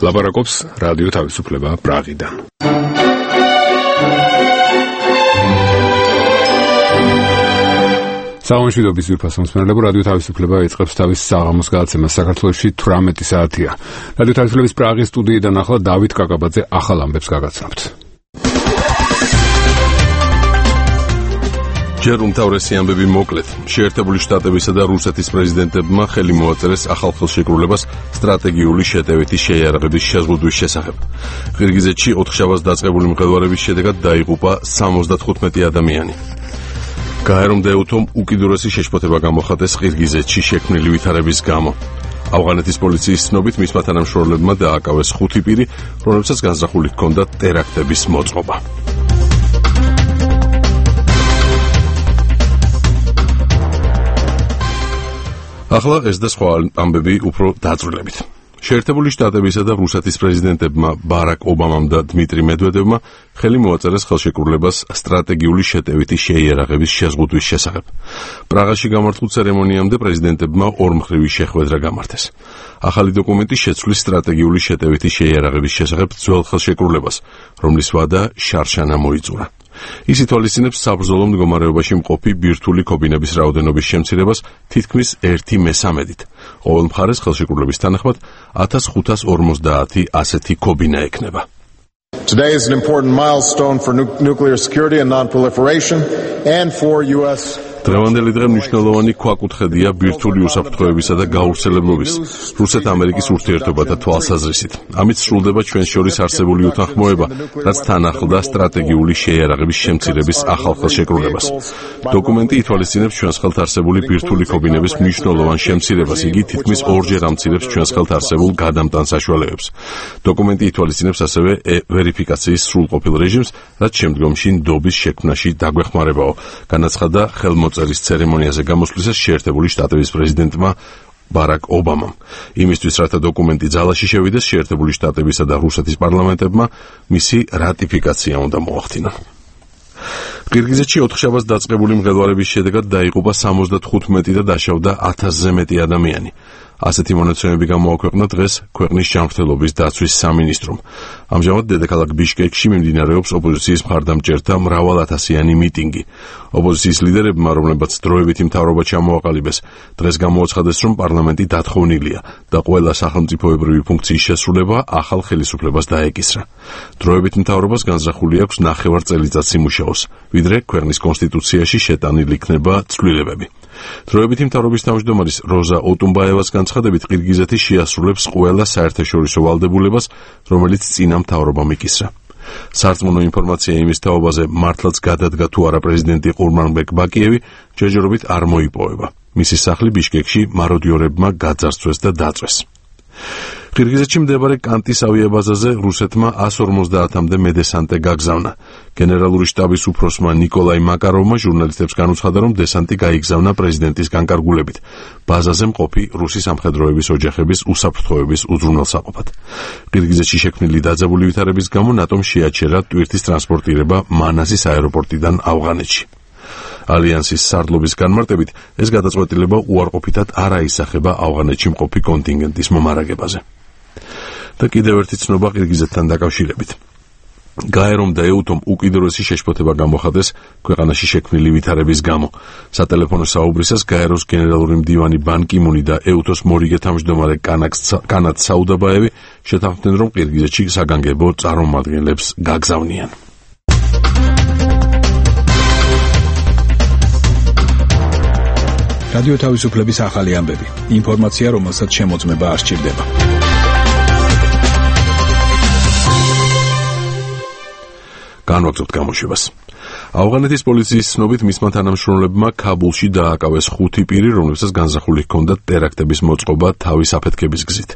ლაპარაკობს რადიო თავისუფლება პრაღიდან. სამშვიდობის ძვირფასო მსმენელებო, რადიო თავისუფლება იწყებს თავის საღამოს გადაცემას. საქართველოში 18 საათია. რადიო თავისუფლების პრაღის სტუდიიდან ახლა დავით კაკაბაძე ახალ ამბებს გაგაცნობთ. ჯერ უმთავრესი ამბები მოკლედ. შეერთებული შტატებისა და რუსეთის პრეზიდენტებმა ხელი მოაწერეს ახალ ხელშეკრულებას სტრატეგიული შეტევითი შეიარაღების შეზღუდვის შესახებ. ყირგიზეთში 4 შაბათს დაწყებული მღელვარების შედეგად დაიღუპა 75 ადამიანი. გაერომდა ეუთომ უკიდურესი შეშფოთება გამოხატეს ყირგიზეთში შექმნილი ვითარების გამო. ავღანეთის პოლიციის ცნობით მისმა თანამშრომლებმა დააკავეს 5 პირი, რომლებსაც განზრახული ჰქონდათ ტერაქტების მოწყობა. ახლა ეს და სხვა ამბები უფრო დაწვრილებით. შეერთებული შტატებისა და რუსეთის პრეზიდენტებმა ბარაკ ობამამ და დმიტრი მედვედევმა ხელი მოაწერეს ხელშეკრულებას სტრატეგიული შეტევითი შეიარაღების შეზღუდვის შესახებ. პრაღაში გამართულ ცერემონიამდე პრეზიდენტებმა ორმხრივი შეხვედრა გამართეს. ახალი დოკუმენტი შეცვლის სტრატეგიული შეტევითი შეიარაღების შესახებ ძველ ხელშეკრულებას, რომლის ვადა შარშანა მოიწურა. ის ითვალისწინებს საბრძოლო მდგომარეობაში მყოფი ბირთვული ქობინების რაოდენობის შემცირებას თითქმის 1/3-ით. ყოველ მხარეს ხელშეკრულების თანახმად 1550 ასეთი ქობინა ექნება. Today is an important milestone for nuclear security and non-proliferation and for US დღევანდელი დღე მნიშვნელოვანი ქვაკუთხედია ბირთვული უსაფრთხოებისა და გაავრცელებლობის, რუსეთ-ამერიკის ურთიერთობათა თვალსაზრისით. ამით სრულდება ჩვენს შორის არსებული უთანხმოება, რაც თან ახლდა სტრატეგიული შეიარაღების შემცირების ახალ ხელშეკრულებას. დოკუმენტი ითვალისწინებს ჩვენს ხელთ არსებული ბირთვული ქობინების მნიშვნელოვან შემცირებას, იგი თითქმის 2-ჯერ ამცირებს ჩვენს ხელთ არსებულ გადამტან საშუალებებს. დოკუმენტი ითვალისწინებს ასევე ვერიფიკაციის სრულყოფილ რეჟიმს, რაც შემდგომში ნდობის შექმნაში დაგვეხმარებაო, განაცხადა ხელმოწერის ცერემონიაზე გამოსვლისას შეერთებული შტატების პრეზიდენტმა ბარაკ ობამამ. იმისთვის, რათა დოკუმენტი ძალაში შევიდეს, შეერთებული შტატებისა და რუსეთის პარლამენტებმა მისი რატიფიკაცია უნდა მოახდინონ. ყირგიზეთში 4 შაბათს დაწყებული მღელვარების შედეგად დაიღუპა 75 და დაშავდა 1000-ზე მეტი ადამიანი. ასეთი მონაცემები გამოაქვეყნა დღეს ქვეყნის ჯანმრთელობის დაცვის სამინისტრომ. ამჟამად დედაქალაქ ბიშკეკში მიმდინარეობს ოპოზიციის მხარდამჭერთა მრავალათასიანი მიტინგი. ოპოზიციის ლიდერებმა, რომლებაც დროებითი მთავრობა ჩამოაყალიბეს, დღეს გამოაცხადეს, რომ პარლამენტი დათხოვნილია და ყველა სახელმწიფოებრივი ფუნქციის შესრულება ახალ ხელისუფლებას დაეკისრა. დროებითი მთავრობას განზრახული აქვს 9 წელიწადს იმუშაოს, ვიდრე ქვეყნის კონსტიტუციაში შეტანილი იქნება ცვლილებები. დროებითი მთავრობის თავმჯდომარის როზა ოტუმბაევას განცხადებით, ყირგიზეთი შეასრულებს ყველა საერთაშორისო ვალდებულებას, რომელიც წინა მთავრობამ იკისრა. სარწმუნო ინფორმაცია იმის თაობაზე, მართლაც გადადგა თუ არა პრეზიდენტი ყურმანბეკ ბაკიევი, ჯერჯერობით არ მოიპოვება. მისი სახლი ბიშკეკში მაროდიორებმა გაძარცვეს და დაწვეს. ყირგიზეთში მდებარე კანტის ავიაბაზაზე რუსეთმა 150-მდე მედესანტე გაგზავნა. გენერალური შტაბის უფროსმა ნიკოლაი მაკაროვმა ჟურნალისტებს განუცხადა, რომ დესანტი გაიგზავნა პრეზიდენტის განკარგულებით, ბაზაზე მყოფი რუსი სამხედროების ოჯახების უსაფრთხოების უზრუნველსაყოფად. ყირგიზეთში შექმნილი დაძაბული ვითარების გამო ნატომ შეაჩერა ტვირთის ტრანსპორტირება მანასის აეროპორტიდან ავღანეთში. ალიანსის სარდლობის განმარტებით, ეს გადაწყვეტილება უარყოფითად არ აისახება ავღანეთში მყოფი კონტინგენტის მომარაგებაზე. და კიდევ ერთი ცნობა ყირგიზეთთან დაკავშირებით. გაერომდა ეუთომ უკიდურესი შეშფოთება გამოხატეს ქვეყანაში შექმნილი ვითარების გამო. სატელეფონო საუბრისას გაეროს გენერალური მდივანი ბან კი მუნი და ეუთოს მორიგე თავმჯდომარე კანად საუდაბაევი შეთანხმდნენ, რომ ყირგიზეთში საგანგებო წარმომადგენლებს გაგზავნიან. რადიო თავისუფლების ახალი ამბები. ინფორმაცია, რომელსაც შემოწმება არ სჭირდება. განვაგრძობთ გამოშვებას. ავღანეთის პოლიციის ცნობით მისმა თანამშრომლებმა ქაბულში დააკავეს 5 პირი, რომლებსაც განზრახული ჰქონდათ ტერაქტების მოწყობა თავის აფეთქების გზით.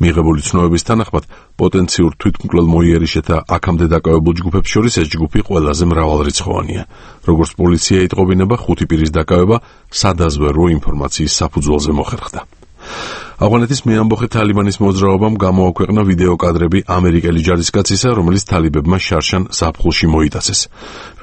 მიღებული ცნობების თანახმად, პოტენციურ თვითმკვლელ მოიერიშეთა აქამდე დაკავებულ ჯგუფებს შორის ეს ჯგუფი ყველაზე მრავალრიცხოვანია. როგორც პოლიცია იტყობინება, 5 პირის დაკავება სადაზვერვო ინფორმაციის საფუძველზე მოხერხდა. ავღანეთის მეამბოხე თალიბანის მოძრაობამ გამოაქვეყნა ვიდეო კადრები ამერიკელი ჯარისკაცისა, რომელიც თალიბებმა შარშან ზაფხულში მოიტაცეს.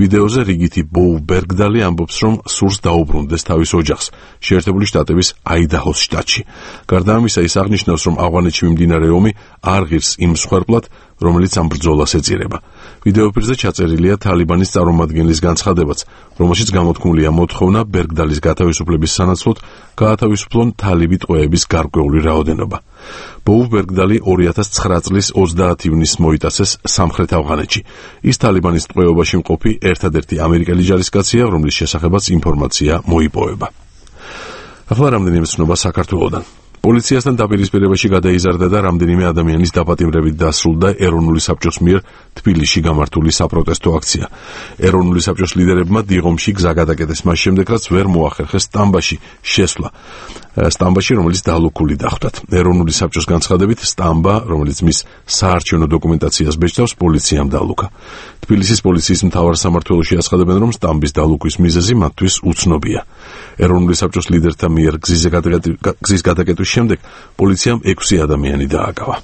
ვიდეოზე რიგითი ბოუ ბერგდალი ამბობს, რომ სურს დაუბრუნდეს თავის ოჯახს შეერთებული შტატების აიდაჰოს შტატში. გარდა ამისა, ის აღნიშნავს, რომ ავღანეთში მიმდინარე ომი არ ღირს იმ მსხვერპლად, რომელიც ამ ბრძოლას ეწირება. ვიდეოფირზე ჩაწერილია თალიბანის წარმომადგენლის განცხადებაც, რომელშიც გამოთქმულია მოთხოვნა ბერგდალის გათავისუფლების სანაცვლოდ გაათავისუფლონ თალიბი ტყვეების გარკვეული რაოდენობა. ბოუ ბერგდალი 2009 წლის 30 ივნისს მოიტაცეს სამხრეთ ავღანეთში. ის თალიბანის ტყვეობაში მყოფი ერთადერთი ამერიკელი ჯარისკაცია, რომლის შესახებაც ინფორმაცია მოიპოვება. ახლა რამდენიმე ცნობა საქართველოდან. პოლიციასთან დაპირისპირებაში გადაიზარდა და რამდენიმე ადამიანის დაპატიმრებით დასრულდა ეროვნული საბჭოს მიერ თბილისში გამართული საპროტესტო აქცია. ეროვნული საბჭოს ლიდერებმა დიღომში გზა გადაკეტეს მას შემდეგ, რაც ვერ მოახერხეს სტამბაში შესვლა. სტამბაში, რომელიც დალუქული დახვდათ. ეროვნული საბჭოს განცხადებით, სტამბა, რომელიც მის საარჩევნო დოკუმენტაციას ბეჭდავს, პოლიციამ დალუქა. თბილისის პოლიციის მთავარ სამმართველოში აცხადებენ, რომ სტამბის დალუქვის მიზეზი მათთვის უცნობია. ეროვნული საბჭოს ლიდერთა მიერ გზის გადაკეტვის შემდეგ პოლიციამ 6 ადამიანი დააკავა.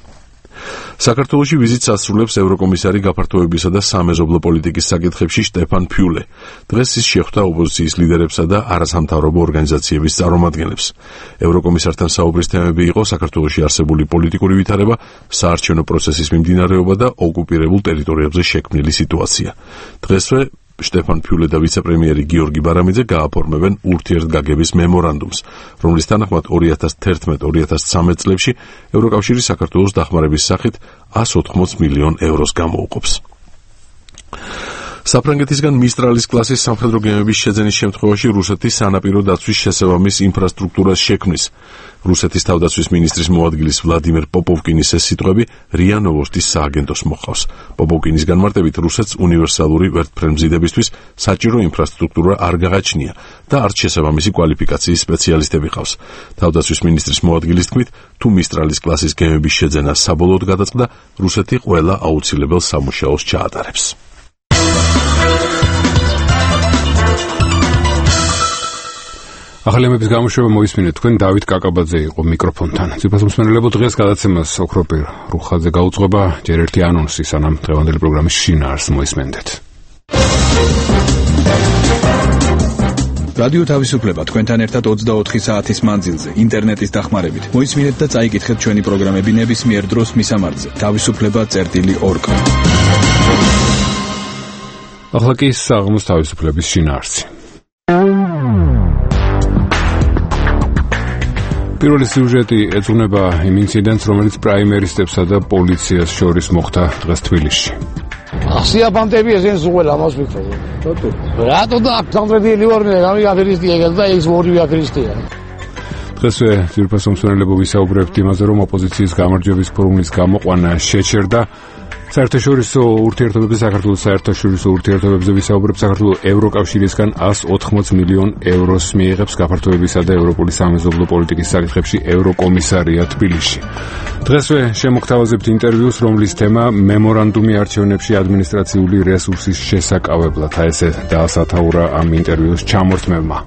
საქართველოში ვიზიტს ასრულებს ევროკომისარი გაფართოებისა და სამეზობლო პოლიტიკის საკითხებში შტეფან ფიულე. დღეს ის შეხვდა ოპოზიციის ლიდერებსა და არასამთავრობო ორგანიზაციების წარმომადგენლებს. ევროკომისართან საუბრის თემები იყო საქართველოში არსებული პოლიტიკური ვითარება, საარჩევნო პროცესის მიმდინარეობა და ოკუპირებულ ტერიტორიებზე შექმნილი სიტუაცია. დღესვე შტეფან ფიულე და ვიცე-პრემიერი გიორგი ბარამიძე გააფორმებენ ურთიერთგაგების მემორანდუმს, რომლის თანახმად 2011-2013 წლებში ევროკავშირი საქართველოს დახმარების სახით 180 მილიონ ევროს გამოუყოფს. საფრანგეთისგან მისტრალის კლასის სამხედრო გემების შეძენის შემთხვევაში რუსეთი სანაპირო დაცვის შესაბამის ინფრასტრუქტურას შექმნის. რუსეთის თავდაცვის მინისტრის მოადგილის ვლადიმერ პოპოვკინის ეს სიტყვები რია ნოვოსტის სააგენტოს მოჰყავს. პოპოვკინის განმარტებით, რუსეთს უნივერსალური ვერტმფრენმზიდებისთვის საჭირო ინფრასტრუქტურა არ გაღაჩნია და არც შესაბამისი კვალიფიკაციის სპეციალისტები ყავს. თავდაცვის მინისტრის მოადგილის თქმით, თუ მისტრალის კლასის გემების შეძენა საბოლოოდ გადაწყდა, რუსეთი ყველა აუცილებელ სამუშაოს ჩაატარებს. ახალი ამების გამოშვება მოისმინეთ, თქვენ დავით კაკაბაძე იყო მიკროფონთან. ძვირფას მსმენელებო, დღეს გადაცემას ოქროპირ რუხაძე გაუძღვება, ჯერ ერთი ანონსი, სანამ დღევანდელი პროგრამის შინაარსს მოისმენდეთ. რადიო თავისუფლება თქვენთან ერთად 24 საათის მანძილზე ინტერნეტის დახმარებით. მოისმინეთ და წაიკითხეთ ჩვენი პროგრამები ნებისმიერ დროს მისამართზე თავისუფლება.org. ახლა კი საღამოს თავისუფლების შინაარსი. პირველი სიუჟეტი ეძღვნება იმ ინციდენტს, რომელიც პრაიმერისტებსა და პოლიციას შორის მოხდა დღეს თბილისში. სიაფანტები ესენ ზუღელ ამას ვიქრობ. რატო და სამტრედილი ვარნე, გამი აფერისტია და ეს ორივე აფერისტია. დღესვე ძვირფას მსმენელებო ვისაუბრებთ იმაზე, რომ ოპოზიციის გამარჯვების ფორმულის გამოყვანა შეჩერდა. საერთაშორისო ურთიერთობებზე საქართველოს საერთაშორისო ურთიერთობებზე ვისაუბრებთ. საქართველოს ევროკავშირისგან 180 მილიონ ევროს მიიღებს გაფართოებისა და ევროპული სამეზობლო პოლიტიკის საკითხებში ევროკომისარია თბილისში. დღესვე შემოგთავაზებთ ინტერვიუს, რომლის თემა მემორანდუმი არჩევნებში ადმინისტრაციული რესურსის შესაკავებლად. ესე დაასათაურა ამ ინტერვიუს ჩამორთმევმა.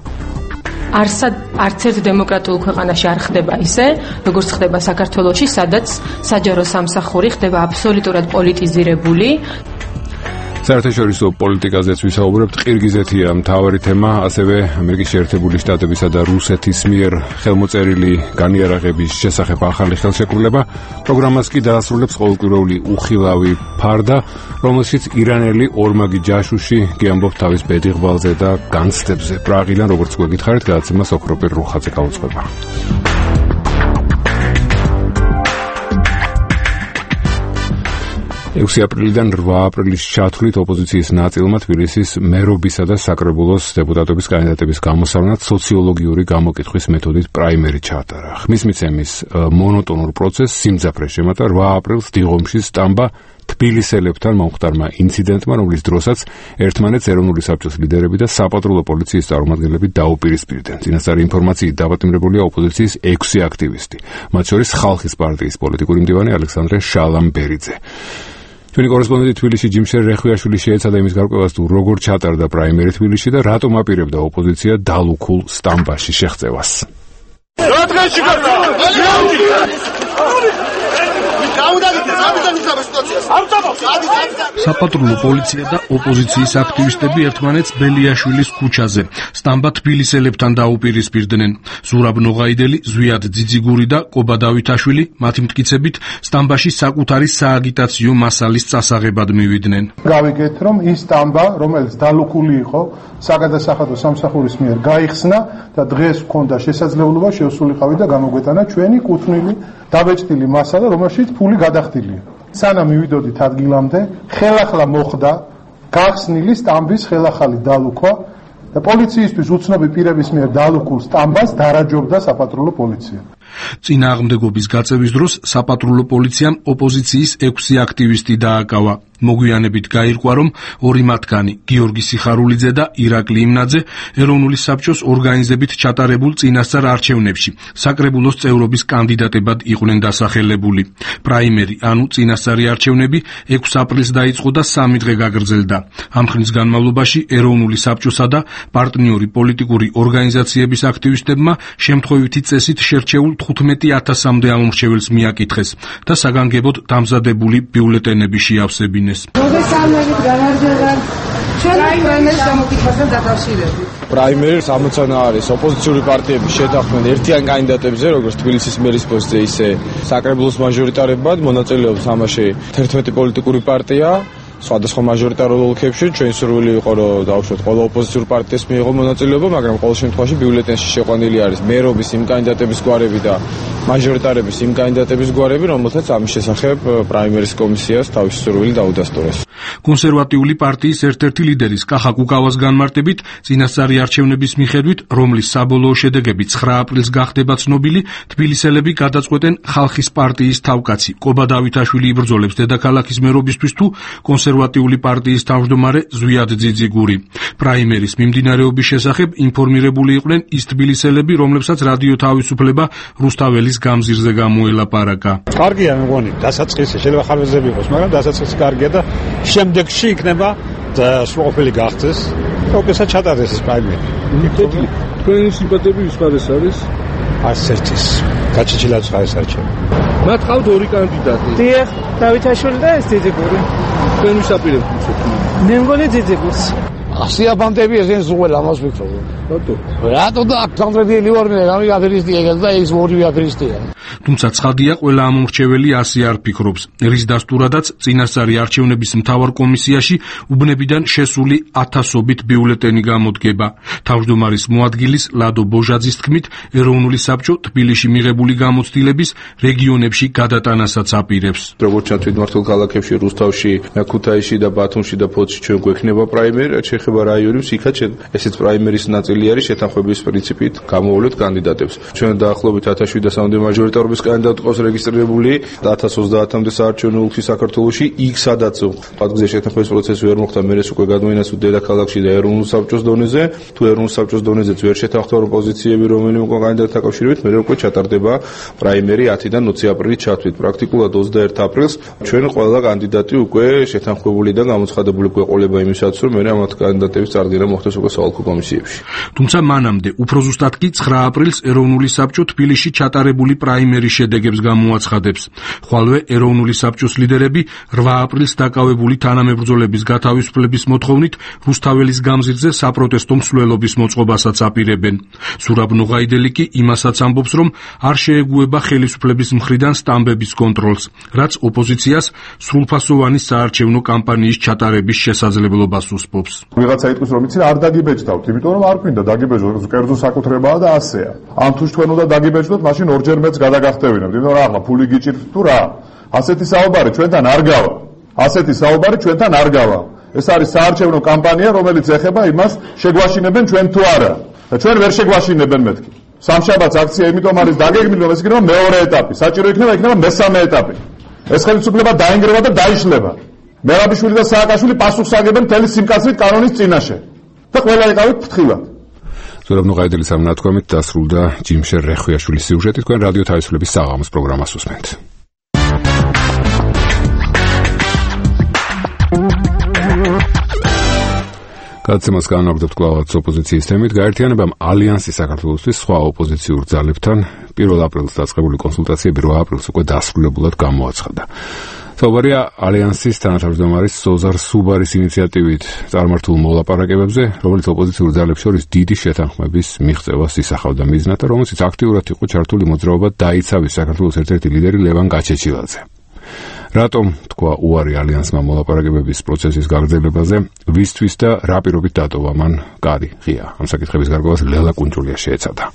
არც ერთ დემოკრატიულ ქვეყანაში არ ხდება ისე, როგორც ხდება საქართველოში, სადაც საჯარო სამსახური ხდება აბსოლუტურად პოლიტიზირებული. საერთაშორისო პოლიტიკაზეც ვისაუბრებთ. ყირგიზეთია მთავარი თემა, ასევე ამერიკის შეერთებული შტატებისა და რუსეთის მიერ ხელმოწერილი განიარაღების შესახებ ახალი ხელშეკრულება. პროგრამას კი დაასრულებს ყოველკვირეული უხილავი ფარდა, რომელშიც ირანელი ორმაგი ჯაშუში გიამბობს თავის ბედიღვალზე და განცდებზე. პრაღიდან, როგორც გვეკითხარით, გადაცემას ოქროპირ რუხაძე გაუძღვება. 6 აპრილიდან 8 აპრილის ჩათვლით ოპოზიციის ნაწილმა თბილისის მერობისა და საკრებულოს დეპუტატობის კანდიდატების გამოსავნად სოციოლოგიური გამოკითხვის მეთოდით პრაიმერი ჩაატარა. ხმის მიცემის მონოტონურ პროცესს სიმძაფრე შემატა 8 აპრილს დიღომში სტამბა თბილისელებთან მომხდარმა ინციდენტმა, რომლის დროსაც ერთმანეთს ეროვნული საბჭოს ლიდერები და საპატრულო პოლიციის წარმომადგენლები დაუპირისპირდნენ. წინასწარი ინფორმაციით დაპატიმრებულია ოპოზიციის 6 აქტივისტი, მათ შორის ხალხის პარტიის პოლიტიკური მდივანი ალექსანდრე შალამბერიძე. ჩვენი კორესპონდენტი თბილისში ჯიმშერ რეხვიაშვილი შეეცადა იმის გარკვევას, თუ როგორ ჩატარდა პრაიმერი თბილისში და რატომ აპირებდა ოპოზიცია დალუქულ სტამბაში შეღწევას. საპატრულო პოლიცია და ოპოზიციის აქტივისტები ერთმანეთს ბელიაშვილის ქუჩაზე სტამბა თბილისელებთან დაუპირისპირდნენ. ზურაბ ნოღაიდელი, ზვიად ძიძიგური და კობა დავითაშვილი მათი მტკიცებით სტამბაში საკუთარი სააგიტაციო მასალის წასაღებად მივიდნენ. გავიგეთ, რომ ის სტამბა, რომელიც დალუქული იყო საგადასახადო სამსახურის მიერ გაიხსნა და დღეს ჰქონდა შესაძლებლობა შევსულიყავი და გამოგვეტანა ჩვენი კუთვნილი დაბეჭდილი მასალა, რომელშიც ფული გადახდილია. სანამ მივიდოდით ადგილამდე, ხელახლა მოხდა გახსნილი სტამბის ხელახალი დალუქვა და პოლიციისთვის უცნობი პირების მიერ დალუქულ სტამბას დარაჯობდა საპატრულო პოლიცია. წინააღმდეგობის გაწევის დროს საპატრულო პოლიციამ ოპოზიციის 6 აქტივისტი დააკავა. მოგვიანებით გაირკვა, რომ ორი მათგანი, გიორგი სიხარულიძე და ირაკლი იმნაძე, ეროვნული საბჭოს ორგანიზებით ჩატარებულ წინასწარ არჩევნებში საკრებულოს წევრობის კანდიდატებად იყვნენ დასახელებული. პრაიმერი, ანუ წინასწარი არჩევნები 6 აპრილს დაიწყო და 3 დღე გაგრძელდა. ამ ხნის განმავლობაში ეროვნული საბჭოსა და პარტნიორი პოლიტიკური ორგანიზაციების აქტივისტებმა შემთხვევითი წესით შერჩეულ 15,000-მდე ამომრჩეველს მიაკითხეს და საგანგებოდ დამზადებული ბიულეტენები შეავსებინეს. პრაიმერის ამოცანა არის ოპოზიციური პარტიების შეთანხმება ერთიან კანდიდატებზე, როგორც თბილისის მერის პოსტზე, ისე საკრებულოს მაჟორიტარებად მონაწილეობს ამაში 11 პოლიტიკური პარტია. სხვადასხვა მაჟორიტარულ ოლქებში ჩვენ სურვილი იყო, რომ დავუშვათ ყველა ოპოზიციურ პარტიას მიიღო მონაწილეობა, მაგრამ ყოველ შემთხვევაში ბიულეტენში შეყვანილი არის მერობის იმ კანდიდატების გვარები და მაჟორიტარების იმ კანდიდატების გვარები, რომელთაც ამის შესახებ პრაიმერის კომისიას თავისი სურვილი დაუდასტურეს. კონსერვატიული პარტიის ერთ-ერთი ლიდერის კახა კუკავას განმარტებით, წინასწარი არჩევნების მიხედვით, რომლის საბოლოო შედეგები 9 აპრილს გახდება ცნობილი, თბილისელები გადაწყვეტენ ხალხის პარტიის თავკაცი კობა დავითაშვილი იბრძოლებს დედაქალაქის მერობისთვის თუ კონსერვატიული პარტიის თავმჯდომარე ზვიად ძიძიგური. პრაიმერის მიმდინარეობის შესახებ ინფორმირებული იყვნენ ის თბილისელები, რომლებსაც რადიო თავისუფლება რუსთაველის გამზირზე გამოელაპარაკა. კარგია, მე მგონი, დასაწყისი შეიძლება ხარვეზები იყოს, მაგრამ დასაწყისი კარგია და შემდეგში იქნება სრულყოფილი გახდეს და უპირველესად ჩატარდეს ეს პრაიმერი. თქვენი სიმპათიები ვისპარეს არის? არც ერთის. გაჩეჩილაც ხარ ეს არჩევანი. მათ ყავთ ორი კანდიდატი. დიახ, დავითაშვილი და ეს ძიძიგური. თქვენ ვის აპირებთ? მე მგონი ძიძიგურს. სიაბანტები ესენ ზღუელ ამას ვიქრობ. რატო და კონკრეტული ვორმე გამიგაფერისტია და ეს ორივე აფერისტია. თუმცა ცხადია, ყველა ამომრჩეველი ასე არ ფიქრობს. რის დასტურადაც წინასწარი არჩევნების მთავარ კომისიაში უბნებიდან შესული 1000-ობით ბიულეტენი გამოდგება. თავმჯდომარის მოადგილის ლადო ბოჟაძის თქმით, ეროვნული საბჭო თბილისში მიღებული გამოცდილების რეგიონებში გადატანასაც აპირებს. როგორც ჩანთვით მართლ ქალაქებში, რუსთავში, ქუთაისში და ბათუმში და ფოთში ჩვენ გვექნება პრაიმერი, ეხება რაიონებს, იქაც ესეც პრაიმერის ნაწილი არის შეთანხმების პრინციპით გამოვლეთ კანდიდატებს. ჩვენ დაახლოებით 1700-მდე მაჟორიტარობის კანდიდატი ყავს რეგისტრირებული 1030-მდე საარჩევნო ოლქში საქართველოში, იქ სადაც პატგზე შეთანხმების პროცესი ვერ მოხდა, მერეს უკვე გადმოინაცვლა დედაქალაქში და ეროვნულ საბჭოს დონეზე, თუ ეროვნულ საბჭოს დონეზეც ვერ შეთანხმდა პოზიციები რომელიმე კანდიდატთან დაკავშირებით, მერე უკვე ჩატარდება პრაიმერი 10-დან 20 აპრილით ჩათვლით. პრაქტიკულად 21 აპრილს ჩვენ ყველა კანდიდატი უკვე შეთანხმებული და გამოცხადებული გვეყოლება იმისათვის, რომ მერე ამათ კანდიდატების წარდგენა მოხდეს უკვე საოლქო კომისიებში. თუმცა მანამდე, უფრო ზუსტად კი 9 აპრილს ეროვნული საბჭო თბილისში ჩატარებული პრაიმერის შედეგებს გამოაცხადებს. ხვალვე ეროვნული საბჭოს ლიდერები 8 აპრილს დაკავებული თანამებრძოლების გათავისუფლების მოთხოვნით რუსთაველის გამზირზე საპროტესტო მსვლელობის მოწყობასაც აპირებენ. ზურაბ ნოღაიდელი კი იმასაც ამბობს, რომ არ შეეგუება ხელისუფლების მხრიდან სტამბების კონტროლს, რაც ოპოზიციას სრულფასოვანი საარჩევნო კამპანიის ჩატარების შესაძლებლობას უსპობს. ვიღაცა იტყვის, რომ იცი არ დაგიბეჭდავთ, იმიტომ რომ არ გვინდა დაგიბეჭდოთ, კერძო საკუთრებაა და ასეა. ან თუ თქვენ უნდა დაგიბეჭდოთ, მაშინ ორჯერ მეც გადაგახტევინებთ, იმიტომ რომ ახლა ფული გიჭირთ თუ რა. ასეთი საუბარი ჩვენთან არ გავა. ასეთი საუბარი ჩვენთან არ გავა. ეს არის საარჩევნო კამპანია, რომელიც ეხება იმას, შეგვაშინებენ ჩვენ თუ არა. და ჩვენ ვერ შეგვაშინებენ მეთქი. სამშაბათს აქცია იმიტომ არის დაგეგმილი, რომ ეს იქნება მეორე ეტაპი. საჭირო იქნება მესამე ეტაპი. ეს ხელისუფლება დაინგრევა და დაიშლება. მერაბიშვილი და სააკაშვილი პასუხს აგებენ მთელი სიმკაცრით კანონის წინაშე. და ყველა ეკავით ფრთხილად. ზურაბ ნოღაიდელის ამ ნათქვამით დასრულდა ჯიმშერ რეხვიაშვილის სიუჟეტი. თქვენ რადიო თავისუფლების საღამოს პროგრამას უსმენთ. გადაცემას განაგრძობთ კვლავაც ოპოზიციის თემით. გაერთიანებამ ალიანსი საქართველოსთვის სხვა ოპოზიციურ ძალებთან 1 აპრილს დაწყებული კონსულტაციები 8 აპრილს უკვე დასრულებულად გამოაცხადა. საუბარია ალიანსის თანათავმჯდომარის სოზარ სუბარის ინიციატივით წარმართულ მოლაპარაკებებზე, რომელიც ოპოზიციურ ძალებს შორის დიდი შეთანხმების მიღწევას ისახავდა მიზნად, რომელშიც აქტიურად იყო ჩართული მოძრაობა დაიცავის საქართველოს ერთ-ერთი ლიდერი ლევან გაჩეჩილაძე. რატომ თქვა უარი ალიანსმა მოლაპარაკებების პროცესის გაგრძელებაზე, ვისთვის და რა პირობით დატოვა მან კარი ღია? ამ საკითხების გარკვევას ლელა კუნჭულია შეეცადა.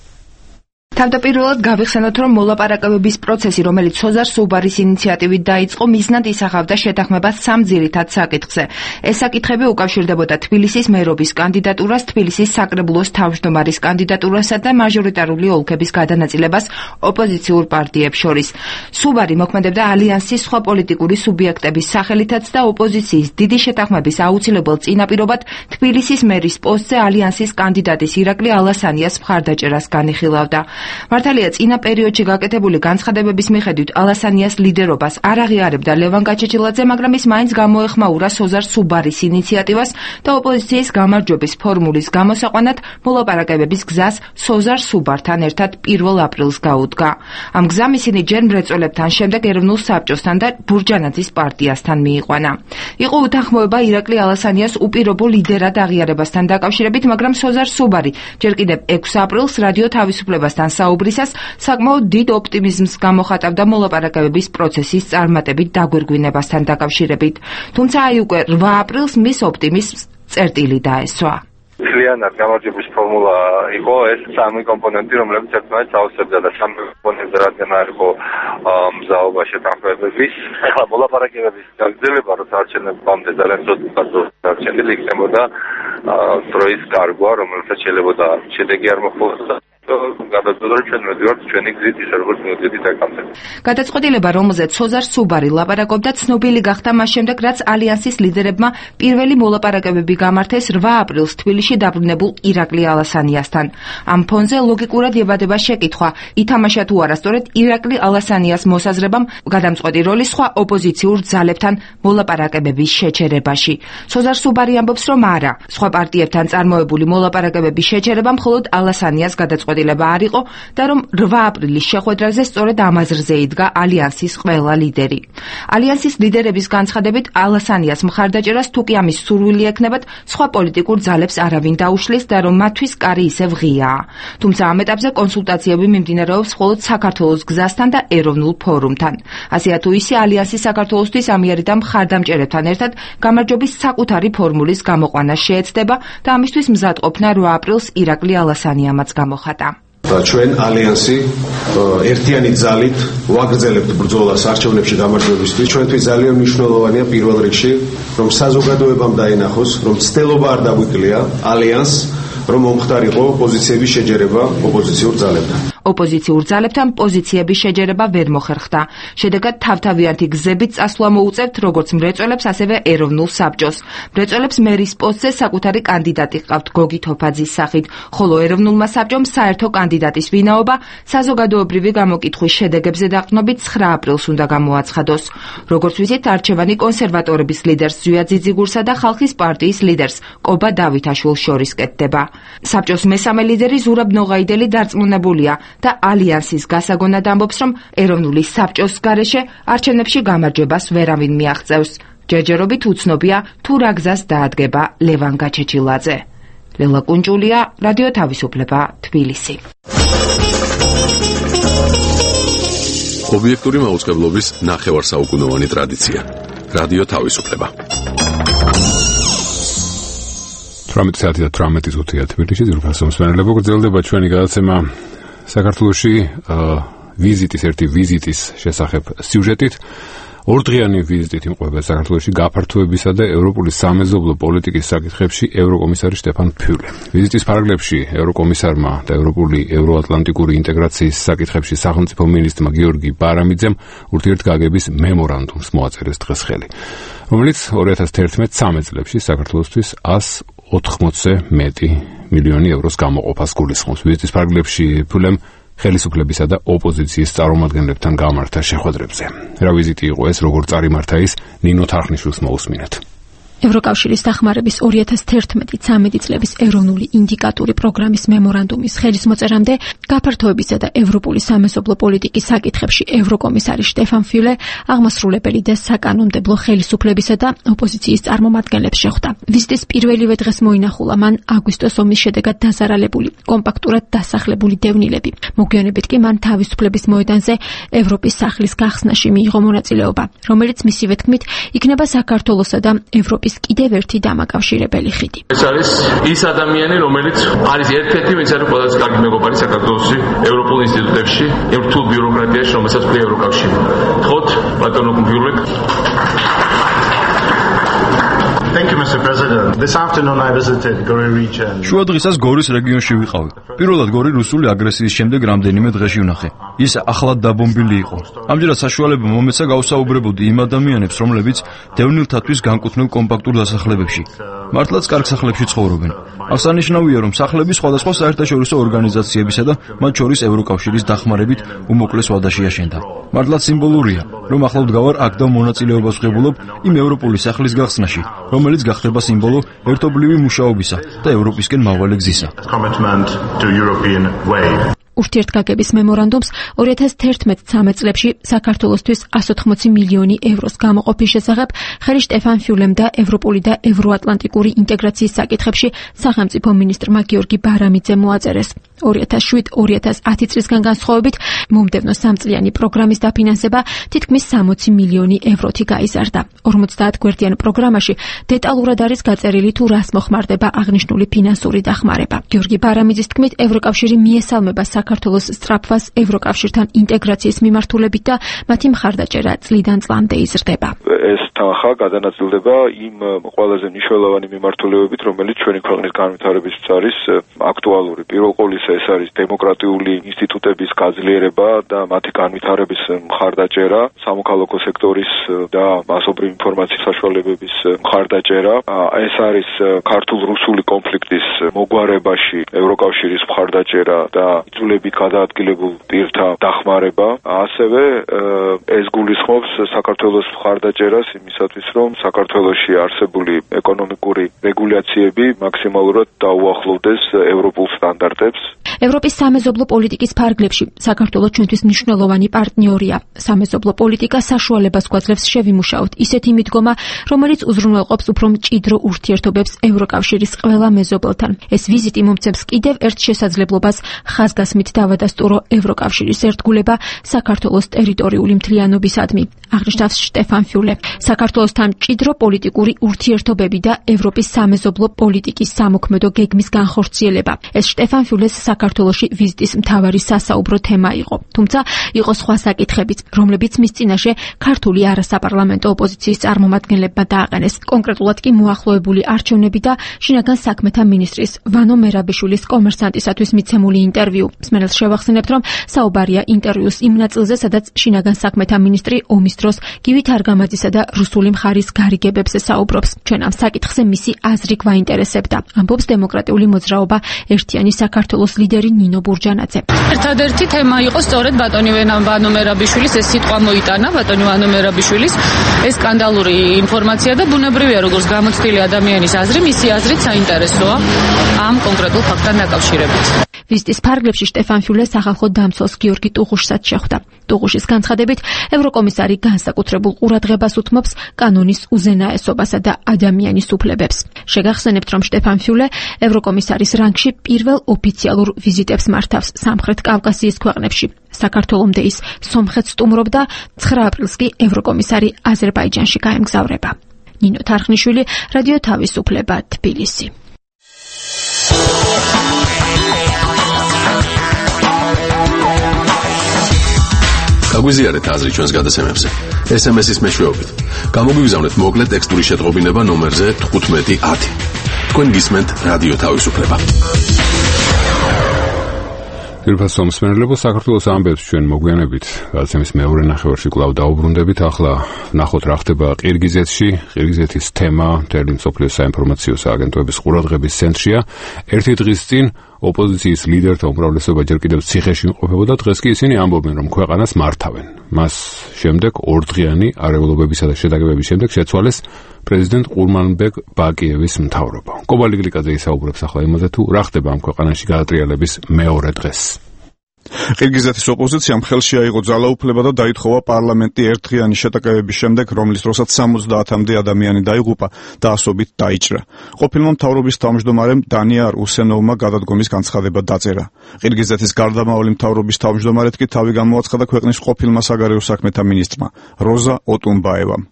თავდაპირველად გავიხსენოთ, რომ მოლაპარაკებების პროცესი, რომელიც სოზარ სუბარის ინიციატივით დაიწყო, მიზნად ისახავდა შეთანხმებას 3 ძირითად საკითხზე. ეს საკითხები უკავშირდებოდა თბილისის მერობის კანდიდატურას, თბილისის საკრებულოს თავმჯდომარის კანდიდატურასა და მაჟორიტარული ოლქების გადანაწილებას ოპოზიციურ პარტიებს შორის. სუბარი მოქმედებდა ალიანსის სხვა პოლიტიკური სუბიექტების სახელითაც და ოპოზიციის დიდი შეთანხმების აუცილებელ წინაპირობად თბილისის მერის პოსტზე ალიანსის კანდიდატის ირაკლი ალასანიას მხარდაჭერას განიხილავდა. მართალია წინა პერიოდში გაკეთებული განცხადებების მიხედვით ალასანიას ლიდერობას არ აღიარებდა ლევან გაჩეჩილაძე, მაგრამ ის მაინც გამოეხმაურა სოზარ სუბარის ინიციატივას და ოპოზიციის გამარჯვების ფორმულის გამოსაყვანად მოლაპარაკებების გზას სოზარ სუბართან ერთად 1 აპრილს გაუდგა. ამ გზამ ისინი ჯერ მრეწველებთან, შემდეგ ეროვნულ საბჭოსთან და ბურჯანაძის პარტიასთან მიიყვანა. იყო უთანხმოება ირაკლი ალასანიას უპირობო ლიდერად აღიარებასთან დაკავშირებით, მაგრამ სოზარ სუბარი ჯერ კიდევ 6 აპრილს რადიო თავისუფლებასთან საუბრისას საკმაოდ დიდ ოპტიმიზმს გამოხატავდა მოლაპარაკებების პროცესის წარმატებით დაგვირგვინებასთან დაკავშირებით. თუმცა აი უკვე 8 აპრილს მის ოპტიმიზმს წერტილი დაესვა. მთლიანად გამარჯვების ფორმულა იყო ეს 3 კომპონენტი, რომლებიც ერთმანეთს ავსებდა და 3 კომპონენტზე რადგან არ იყო მზაობა შეთანხმებების, ახლა მოლაპარაკებების გაგრძელება, როცა არჩევნებამდე ძალიან ცოტა არჩენილი იქნებოდა დროის გარგვა, რომელსაც შეიძლება შედეგი არ მოხდა. გადაწყვეტილება, რომელზეც სოზარ სუბარი ლაპარაკობდა, ცნობილი გახდა მას შემდეგ, რაც ალიანსის ლიდერებმა პირველი მოლაპარაკებები გამართეს 8 აპრილს თბილისში დაბრუნებულ ირაკლი ალასანიასთან. ამ ფონზე ლოგიკურად ებადება შეკითხვა, ითამაშა თუ არა სწორედ ირაკლი ალასანიას მოსაზრებამ გადამწყვეტი როლი სხვა ოპოზიციურ ძალებთან მოლაპარაკებების შეჩერებაში. სოზარ სუბარი ამბობს, რომ არა, სხვა პარტიებთან წარმოებული მოლაპარაკებების შეჩერება მხოლოდ ალასანიას გადაწყვეტილება არ იყო და რომ 8 აპრილის შეხვედრაზე სწორედ ამ აზრზე იდგა ალიანსის ყველა ლიდერი. ალიანსის ლიდერების განცხადებით ალასანიას მხარდაჭერას თუ კი ამის სურვილი ექნებათ, სხვა პოლიტიკურ ძალებს არავინ დაუშლის და რომ მათთვის კარი ისევ ღიაა. თუმცა ამ ეტაპზე კონსულტაციები მიმდინარეობს მხოლოდ საქართველოს გზასთან და ეროვნულ ფორუმთან. ასეა თუ ისე ალიანსი საქართველოსთვის ამიერი და მხარდამჭერებთან ერთად გამარჯვების საკუთარი ფორმულის გამოყვანა შეეცდება და ამისთვის მზად ყოფნა 8 აპრილს ირაკლი ალასანიამაც გამოხატა. ჩვენ ალიანსი ერთიანი ძალით ვაგრძელებთ ბრძოლას არჩევნებში გამარჯვებისთვის. ჩვენთვის ძალიან მნიშვნელოვანია პირველ რიგში, რომ საზოგადოებამ დაინახოს, რომ ცდელობა არ დაგვიკლია ალიანსს, რომ მომხდარიყო პოზიციების შეჯერება ოპოზიციურ ძალებთან. ოპოზიციურ ძალებთან პოზიციების შეჯერება ვერ მოხერხდა. შედეგად თავთავიანთი გზებით წასვლა მოუწევთ როგორც მრეწველებს, ასევე ეროვნულ საბჭოს. მრეწველებს მერის პოსტზე საკუთარი კანდიდატი ჰყავთ გოგი თოფაძის სახით, ხოლო ეროვნულმა საბჭომ საერთო კანდიდატის ვინაობა საზოგადოებრივი გამოკითხვის შედეგებზე დაყრდნობით 9 აპრილს უნდა გამოაცხადოს. როგორც ვიცით, არჩევანი კონსერვატორების ლიდერს ზვია ძიძიგურსა და ხალხის პარტიის ლიდერს კობა დავითაშვილს შორის კეთდება. საბჭოს მესამე ლიდერი ზურაბ ნოღაიდელი დარწმუნებულია და ალიანსის გასაგონად ამბობს, რომ ეროვნული საბჭოს გარეშე არჩევნებში გამარჯვებას ვერავინ მიაღწევს. ჯერჯერობით უცნობია თუ რა გზას დაადგება ლევან გაჩეჩილაძე. ლელა კუნჭულია, რადიო თავისუფლება, თბილისი. ობიექტური მაუწყებლობის ნახევარსაუკუნოვანი ტრადიცია. რადიო თავისუფლება. 18 საათი და 18 ზუთია თბილისში ძირფასო მსმენელებო, გრძელდება ჩვენი გადაცემა საქართველოში ერთი ვიზიტის შესახებ სიუჟეტით. ორდღიანი ვიზიტით იმყოფება საქართველოში გაფართოებისა და ევროპული სამეზობლო პოლიტიკის საკითხებში ევროკომისარი შტეფან ფიულე. ვიზიტის ფარგლებში ევროკომისარმა და ევროატლანტიკური ინტეგრაციის საკითხებში სახელმწიფო მინისტრმა გიორგი ბარამიძემ ურთიერთგაგების მემორანდუმს მოაწერეს დღეს ხელი, რომელიც 2011-13 წლებში საქართველოსთვის 180-ზე მეტი მილიონი ევროს გამოყოფას გულისხმობს. ვიზიტის ფარგლებში ფიულემ ხელისუფლებისა და ოპოზიციის წარმომადგენლებთან გამართა შეხვედრებზე. რა ვიზიტი იყო ეს, როგორ წარიმართა ის, ნინო თარხნიშვილს მოусმინეთ. ევროკავშირის დახმარების 2011-13 წლების ეროვნული ინდიკატური პროგრამის მემორანდუმის ხელისმოწერამდე გაფართოებისა და ევროპული სამეზობლო პოლიტიკის საკითხებში ევროკომისარი შტეფან ფიულე აღმასრულებელი და საკანონმდებლო ხელისუფლებისა და ოპოზიციის წარმომადგენლებს შეხვდა. ვიზიტის პირველივე დღეს მოინახულა მან აგვისტოს ომის შედეგად დაზარალებული, კომპაქტურად დასახლებული დევნილები. მოგვიანებით კი მან თავისუფლების მოედანზე ევროპის სახლის გახსნაში მიიღო მონაწილეობა, რომელიც მისივე თქმით იქნება საქართველოსა და ევროპის კიდევ ერთი დამაკავშირებელი ხიდი. ეს არის ის ადამიანი, რომელიც არის ერთ-ერთი, ვინც არის ყველაზე კარგი მეგობარი საქართველოსი ევროპულ ინსტიტუტებში, იმ რთულ ბიუროკრატიაში, რომელსაც ქმნიდა ევროკავშირი. ხოთ, ბატონო გიურლეკ. Thank you, Mr. President. This afternoon I visited Gori region. შუა დღისას გორის რეგიონში ვიყავი. პირველად გორი რუსული აგრესიის შემდეგ რამდენიმე დღეში ვნახე. ის ახლად დაბომბილი იყო. ამჯერად საშუალება მომეცა გავსაუბრებოდი იმ ადამიანებს, რომლებიც დევნილთათვის განკუთვნილ კომპაქტურ დასახლებებში. მართლაც კარგ სახლებში ცხოვრობენ. აღსანიშნავია, რომ სახლები სხვადასხვა საერთაშორისო ორგანიზაციებისა და მათ შორის ევროკავშირის დახმარებით უმოკლეს ვადაში აშენდა. მართლაც სიმბოლურია, რომ ახლავ დგავარ აქ და მონაწილეობას ვღებულობ იმ ევროპული სახლის გახსნაში, რომელიც გახდება სიმბოლო ერთობლივი მუშაობისა და ევროპისკენ მავალე გზისა. ურთიერთგაგების მემორანდუმს 2011-13 წლებში საქართველოსთვის 180 მილიონი ევროს გამოყოფის შესახებ ხელი შტეფან ფიულემ და ევროპული და ევროატლანტიკური ინტეგრაციის საკითხებში სახელმწიფო მინისტრმა გიორგი ბარამიძემ მოაწერეს. 2007-2010 წლისგან განსხვავებით მომდევნო სამწლიანი პროგრამის დაფინანსება თითქმის 60 მილიონი ევროთი გაიზარდა. 50 გვერდიან პროგრამაში დეტალურად არის გაწერილი თუ რას მოხმარდება აღნიშნული ფინანსური დახმარება. გიორგი ბარამიძის თქმით, ევროკავშირი მიესალმება საქართველოს სწრაფვას ევროკავშირთან ინტეგრაციის მიმართულებით და მათი მხარდაჭერა წლიდან წლამდე იზრდება. ეს თანხა გადანაწილდება იმ ყველაზე მნიშვნელოვანი მიმართულებებით, რომელიც ჩვენი ქვეყნის განვითარებისთვის არის აქტუალური. პირველ ყოვლისა ეს არის დემოკრატიული ინსტიტუტების გაძლიერება და მათი განვითარების მხარდაჭერა, სამოქალაქო სექტორის და მასობრივი ინფორმაციის საშუალებების მხარდაჭერა. ეს არის ქართულ-რუსული კონფლიქტის მოგვარებაში ევროკავშირის მხარდაჭერა და იძულებით გადაადგილებულ პირთა დახმარება. ასევე ეს გულისხმობს საქართველოს მხარდაჭერას იმისათვის, რომ საქართველოში არსებული ეკონომიკური რეგულაციები მაქსიმალურად დაუახლოვდეს ევროპულ სტანდარტებს. ევროპის სამეზობლო პოლიტიკის ფარგლებში საქართველოს ჩვენთვის მნიშვნელოვანი პარტნიორია. სამეზობლო პოლიტიკა საშუალებას გვაძლევს შევიმუშაოთ ისეთი მიდგომა, რომელიც უზრუნველყოფს უფრო მჭიდრო ურთიერთობებს ევროკავშირის ყველა მეზობელთან. ეს ვიზიტი მომცემს კიდევ ერთ შესაძლებლობას ხაზგასმით დავადასტურო ევროკავშირის ერთგულება საქართველოს ტერიტორიული მთლიანობისადმი. აღნიშნავს შტეფან ფიულე. საქართველოსთან მჭიდრო პოლიტიკური ურთიერთობები და ევროპის სამეზობლო პოლიტიკის სამოქმედო გეგმის განხორციელება. ეს შტეფან ფიულეს საქართველოში ვიზიტის მთავარი სასაუბრო თემა იყო. თუმცა იყო სხვა საკითხებიც, რომლებიც მის წინაშე ქართული არასაპარლამენტო ოპოზიციის წარმომადგენლებმა დააყენეს. კონკრეტულად კი მოახლოებული არჩევნები და შინაგან საქმეთა მინისტრის ვანო მერაბიშვილის კომერსანტისათვის მიცემული ინტერვიუ. მსმენელს შევახსენებთ, რომ საუბარია ინტერვიუს იმ ნაწილზე, სადაც შინაგან საქმეთა მინისტრი ომის დროს გივით არგამაძისა და რუსული მხარის გარიგებებზე საუბრობს. ჩვენ ამ საკითხზე მისი აზრი გვაინტერესებდა. ამბობს დემოკრატიული მოძრაობა ერთიანი საქართველოს ლიდერი ნინო ბურჯანაძე. ერთადერთი თემა იყო სწორედ ბატონი ვანო მერაბიშვილის ეს სიტყვა მოიტანა, ბატონი ვანო მერაბიშვილის ეს სკანდალური ინფორმაცია და ბუნებრივია, როგორც გამოცდილი ადამიანის აზრი, მისი აზრით საინტერესოა ამ კონკრეტულ ფაქტთან დაკავშირებით. ვიზიტის ფარგლებში შტეფან ფიულე სახალხო დამცველს გიორგი ტუღუშსაც შეხვდა. ტუღუშის განცხადებით, ევროკომისარი განსაკუთრებულ ყურადღებას უთმობს კანონის უზენაესობასა და ადამიანის უფლებებს. შეგახსენებთ, რომ შტეფან ფიულე ევროკომისარის რანგში პირველ ოფიციალურ ვიზიტებს მართავს სამხრეთ კავკასიის ქვეყნებში. საქართველომდე ის სომხეთს სტუმრობდა, 9 აპრილს კი ევროკომისარი აზერბაიჯანში გაემგზავრება. ნინო თარხნიშვილი, რადიო თავისუფლება, თბილისი. გაგვიზიარეთ აზრი ჩვენს გადაცემებზე. SMS-ის მეშვეობით. გამოგვიგზავნეთ მოკლე ტექსტური შეტყობინება ნომერზე 1510. თქვენ გისმენთ რადიო თავისუფლება. პირველ მსმენელებო, საქართველოს ამბებს ჩვენ მოგვიანებით გადაცემის მეორე ნახევარში კვლავ დაუბრუნდებით. ახლა ნახოთ რა ხდება ყირგიზეთში. ყირგიზეთის თემა მთელი მსოფლიოს საინფორმაციო სააგენტოების ყურადღების ცენტრშია. ერთი დღის წინ ოპოზიციის ლიდერთა უმრავლესობა ჯერ კიდევ ციხეში იმყოფებოდა, დღეს კი ისინი ამბობენ, რომ ქვეყანას მართავენ. მას შემდეგ ორდღიანი არეულობებისა და შეტაკებების შემდეგ შეცვალეს პრეზიდენტ ყურმანბეგ ბაკიევის მთავრობა. კობალტ გლიკაძე ისაუბრებს ახლა იმაზე, თუ რა ხდება ამ ქვეყანაში გადატრიალების მეორე დღეს. ყირგიზეთის ოპოზიციამ ხელში აიღო ძალაუფლება და დაითხოვა პარლამენტი ერთდღიანი შეტაკებების შემდეგ, რომლის დროსაც 70-მდე ადამიანი დაიღუპა და ასობით დაიჭრა. ყოფილმა მთავრობის თავმჯდომარემ დანიარ უსენოვმა გადადგომის განცხადება დაწერა. ყირგიზეთის გარდამავალი მთავრობის თავმჯდომარედ კი თავი გამოაცხადა ქვეყნის ყოფილმა საგარეო საქმეთა მინისტრმა როზა ოტუნბაევამ.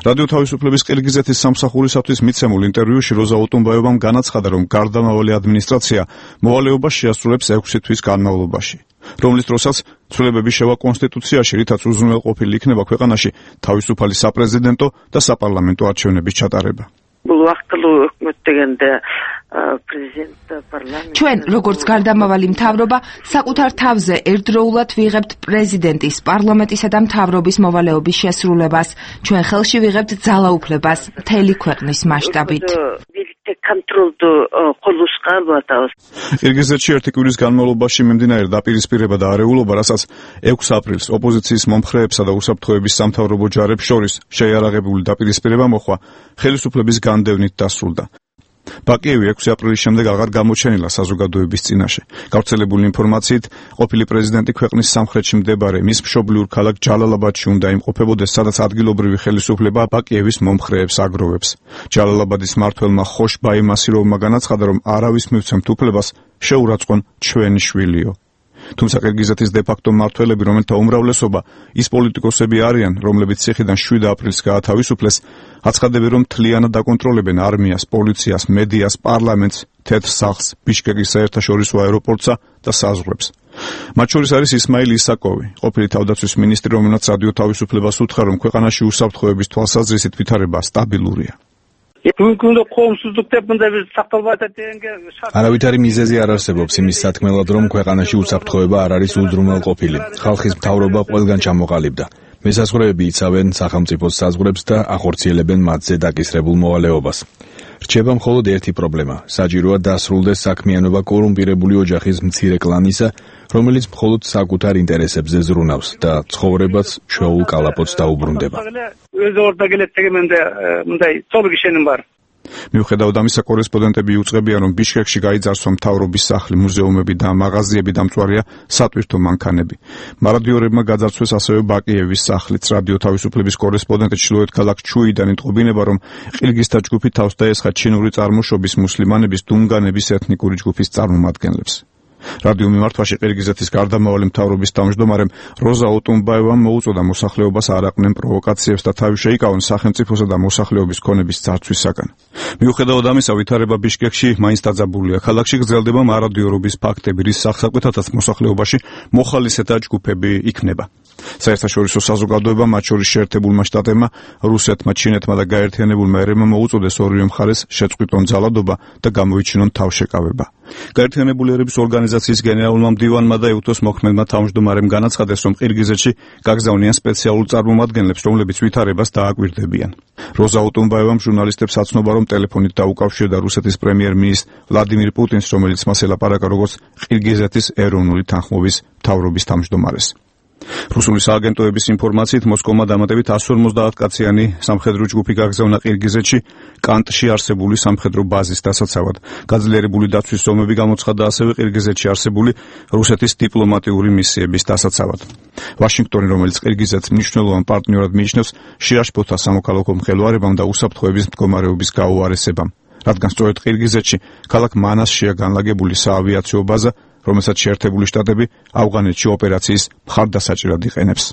რადიო თავისუფლების ყირგიზეთის სამსახურისათვის მიცემულ ინტერვიუში როზა ოტუნბაევამ განაცხადა, რომ გარდამავალი ადმინისტრაცია მოვალეობას შეასრულებს 6 თვის განმავლობაში, რომლის დროსაც ცვლილებები შევა კონსტიტუციაში, რითაც უზრუნველყოფილი იქნება ქვეყანაში თავისუფალი საპრეზიდენტო და საპარლამენტო არჩევნების ჩატარება. ჩვენ, როგორც გარდამავალი მთავრობა, საკუთარ თავზე ერთდროულად ვიღებთ პრეზიდენტის, პარლამენტისა და მთავრობის მოვალეობის შესრულებას. ჩვენ ხელში ვიღებთ ძალაუფლებას მთელი ქვეყნის მასშტაბით. ყირგიზეთში ერთი კვირის განმავლობაში მიმდინარე დაპირისპირება და არეულობა, რასაც 6 აპრილს ოპოზიციის მომხრეებსა და უსაფრთხოების სამთავრობო ჯარებს შორის შეიარაღებული დაპირისპირება მოხდა, ხელისუფლების განდევნით დასრულდა. ბაკიევი 6 აპრილის შემდეგ აღარ გამოჩენილა საზოგადოების წინაშე. გავრცელებული ინფორმაციით, ყოფილი პრეზიდენტი ქვეყნის სამხრეთში მდებარე მის მშობლიურ ქალაქ ჯალალაბადში უნდა იმყოფებოდეს, სადაც ადგილობრივი ხელისუფლება ბაკიევის მომხრეებს აგროვებს. ჯალალაბადის მმართველმა ხოშ ბაიმასიროვმა განაცხადა, რომ არავის მივცემთ უფლებას შეურაცხყვონ ჩვენი შვილიო. თუმცა ყირგიზეთის დე-ფაქტო მმართველები, რომელთა უმრავლესობა ის პოლიტიკოსები არიან, რომლებიც ციხიდან 7 აპრილს გაათავისუფლეს, აცხადებენ, რომ მთლიანად აკონტროლებენ არმიას, პოლიციას, მედიას, პარლამენტს, თეთრ სახლს, ბიშკეკის საერთაშორისო აეროპორტსა და საზღვრებს. მათ შორის არის ისმაილ ისაკოვი, ყოფილი თავდაცვის მინისტრი, რომელმაც რადიო თავისუფლებას უთხრა, რომ ქვეყანაში უსაფრთხოების თვალსაზრისით ვითარება სტაბილურია. არავითარი მიზეზი არ არსებობს იმის სათქმელად, რომ ქვეყანაში უსაფრთხოება არ არის უზრუნველყოფილი. ხალხის მთავრობა ყველგან ჩამოყალიბდა. მესაზღვრეები იცავენ სახელმწიფოს საზღვრებს და ახორციელებენ მათზე დაკისრებულ მოვალეობას. რჩება მხოლოდ ერთი პრობლემა: საჭიროა დასრულდეს საქმიანობა კორუმპირებული ოჯახის მცირე კლანისა, რომელიც მხოლოდ საკუთარ ინტერესებზე ზრუნავს და ცხოვრებაც ჩვეულ კალაპოტს დაუბრუნდება. მიუხედავად ამისა, კორესპონდენტები იუწყებიან, რომ ბიშკეკში გაიძარცვა მთავრობის სახლი, მუზეუმები და მაღაზიები, დამწვარია სატვირთო მანქანები. მარადიორებმა გაძარცვეს ასევე ბაკიევის სახლიც. რადიო თავისუფლების კორესპონდენტი ჩრდილოეთ ქალაქ ჩუიდან იტყობინება, რომ ყირგიზთა ჯგუფი თავს დაესხა ჩინური წარმოშობის მუსლიმანების დუნგანების ეთნიკური ჯგუფის წარმომადგენლებს. რადიო მიმართვაში ყირგიზეთის გარდამავალი მთავრობის თავმჯდომარემ როზა ოტუნბაევამ მოუწოდა მოსახლეობას არ აყვნեն პროვოკაციებს და თავი შეიკავონ სახელმწიფოსა და მოსახლეობის ქონების ძარცვისაგან. მიუხედავად ამისა, ვითარება ბიშკეკში მაინც დაძაბულია. ქალაქში გრძელდება მარადიორობის ფაქტები, რის სახსაკვეთადაც მოსახლეობაში მოხალისეთა ჯგუფები იქნება. საერთაშორისო საზოგადოება, მათ შორის შეერთებულმა შტატებმა, რუსეთმა, ჩინეთმა და გაერთიანებულმა ერებმა მოუწოდეს ორივე მხარეს შეწყვიტონ ძალადობა და გამოიჩინონ თავშეკავება. გაერთიანებული ერების ორგანიზაციის გენერალურმა მდივანმა და ეუთოს მოქმედმა თავმჯდომარემ განაცხადეს, რომ ყირგიზეთში გაგზავნიან სპეციალურ წარმომადგენლებს, რომლებიც ვითარებას დააკვირდებიან. როზა ოტუნბაევამ ჟურნალისტებს აცნობა, რომ ტელეფონით დაუკავშირდა რუსეთის პრემიერ-მინისტრ ვლადიმირ პუტინს, რომელიც მას ელაპარაკა როგორც ყირგიზეთის ეროვნული თანხმობის მთავრობის თავმჯდომარეს. რუსული სააგენტოების ინფორმაციით, მოსკოვმა დამატებით 150 კაციანი სამხედრო ჯგუფი გაგზავნა ყირგიზეთში კანტში არსებული სამხედრო ბაზის დასაცავად. გაძლიერებული დაცვის ზომები გამოცხადა ასევე ყირგიზეთში არსებული რუსეთის დიპლომატიური მისიების დასაცავად. ვაშინგტონი, რომელიც ყირგიზეთს მნიშვნელოვან პარტნიორად მიიჩნევს, შეაშფოთა სამოქალაქო მღელვარებამ და უსაფრთხოების მდგომარეობის გაუარესებამ, რადგან სწორედ ყირგიზეთში ქალაქ მანასშია განლაგებული საავიაციო ბაზა, რომელსაც შეერთებული შტატები ავღანეთში ოპერაციის მხარდასაჭერად იყენებს.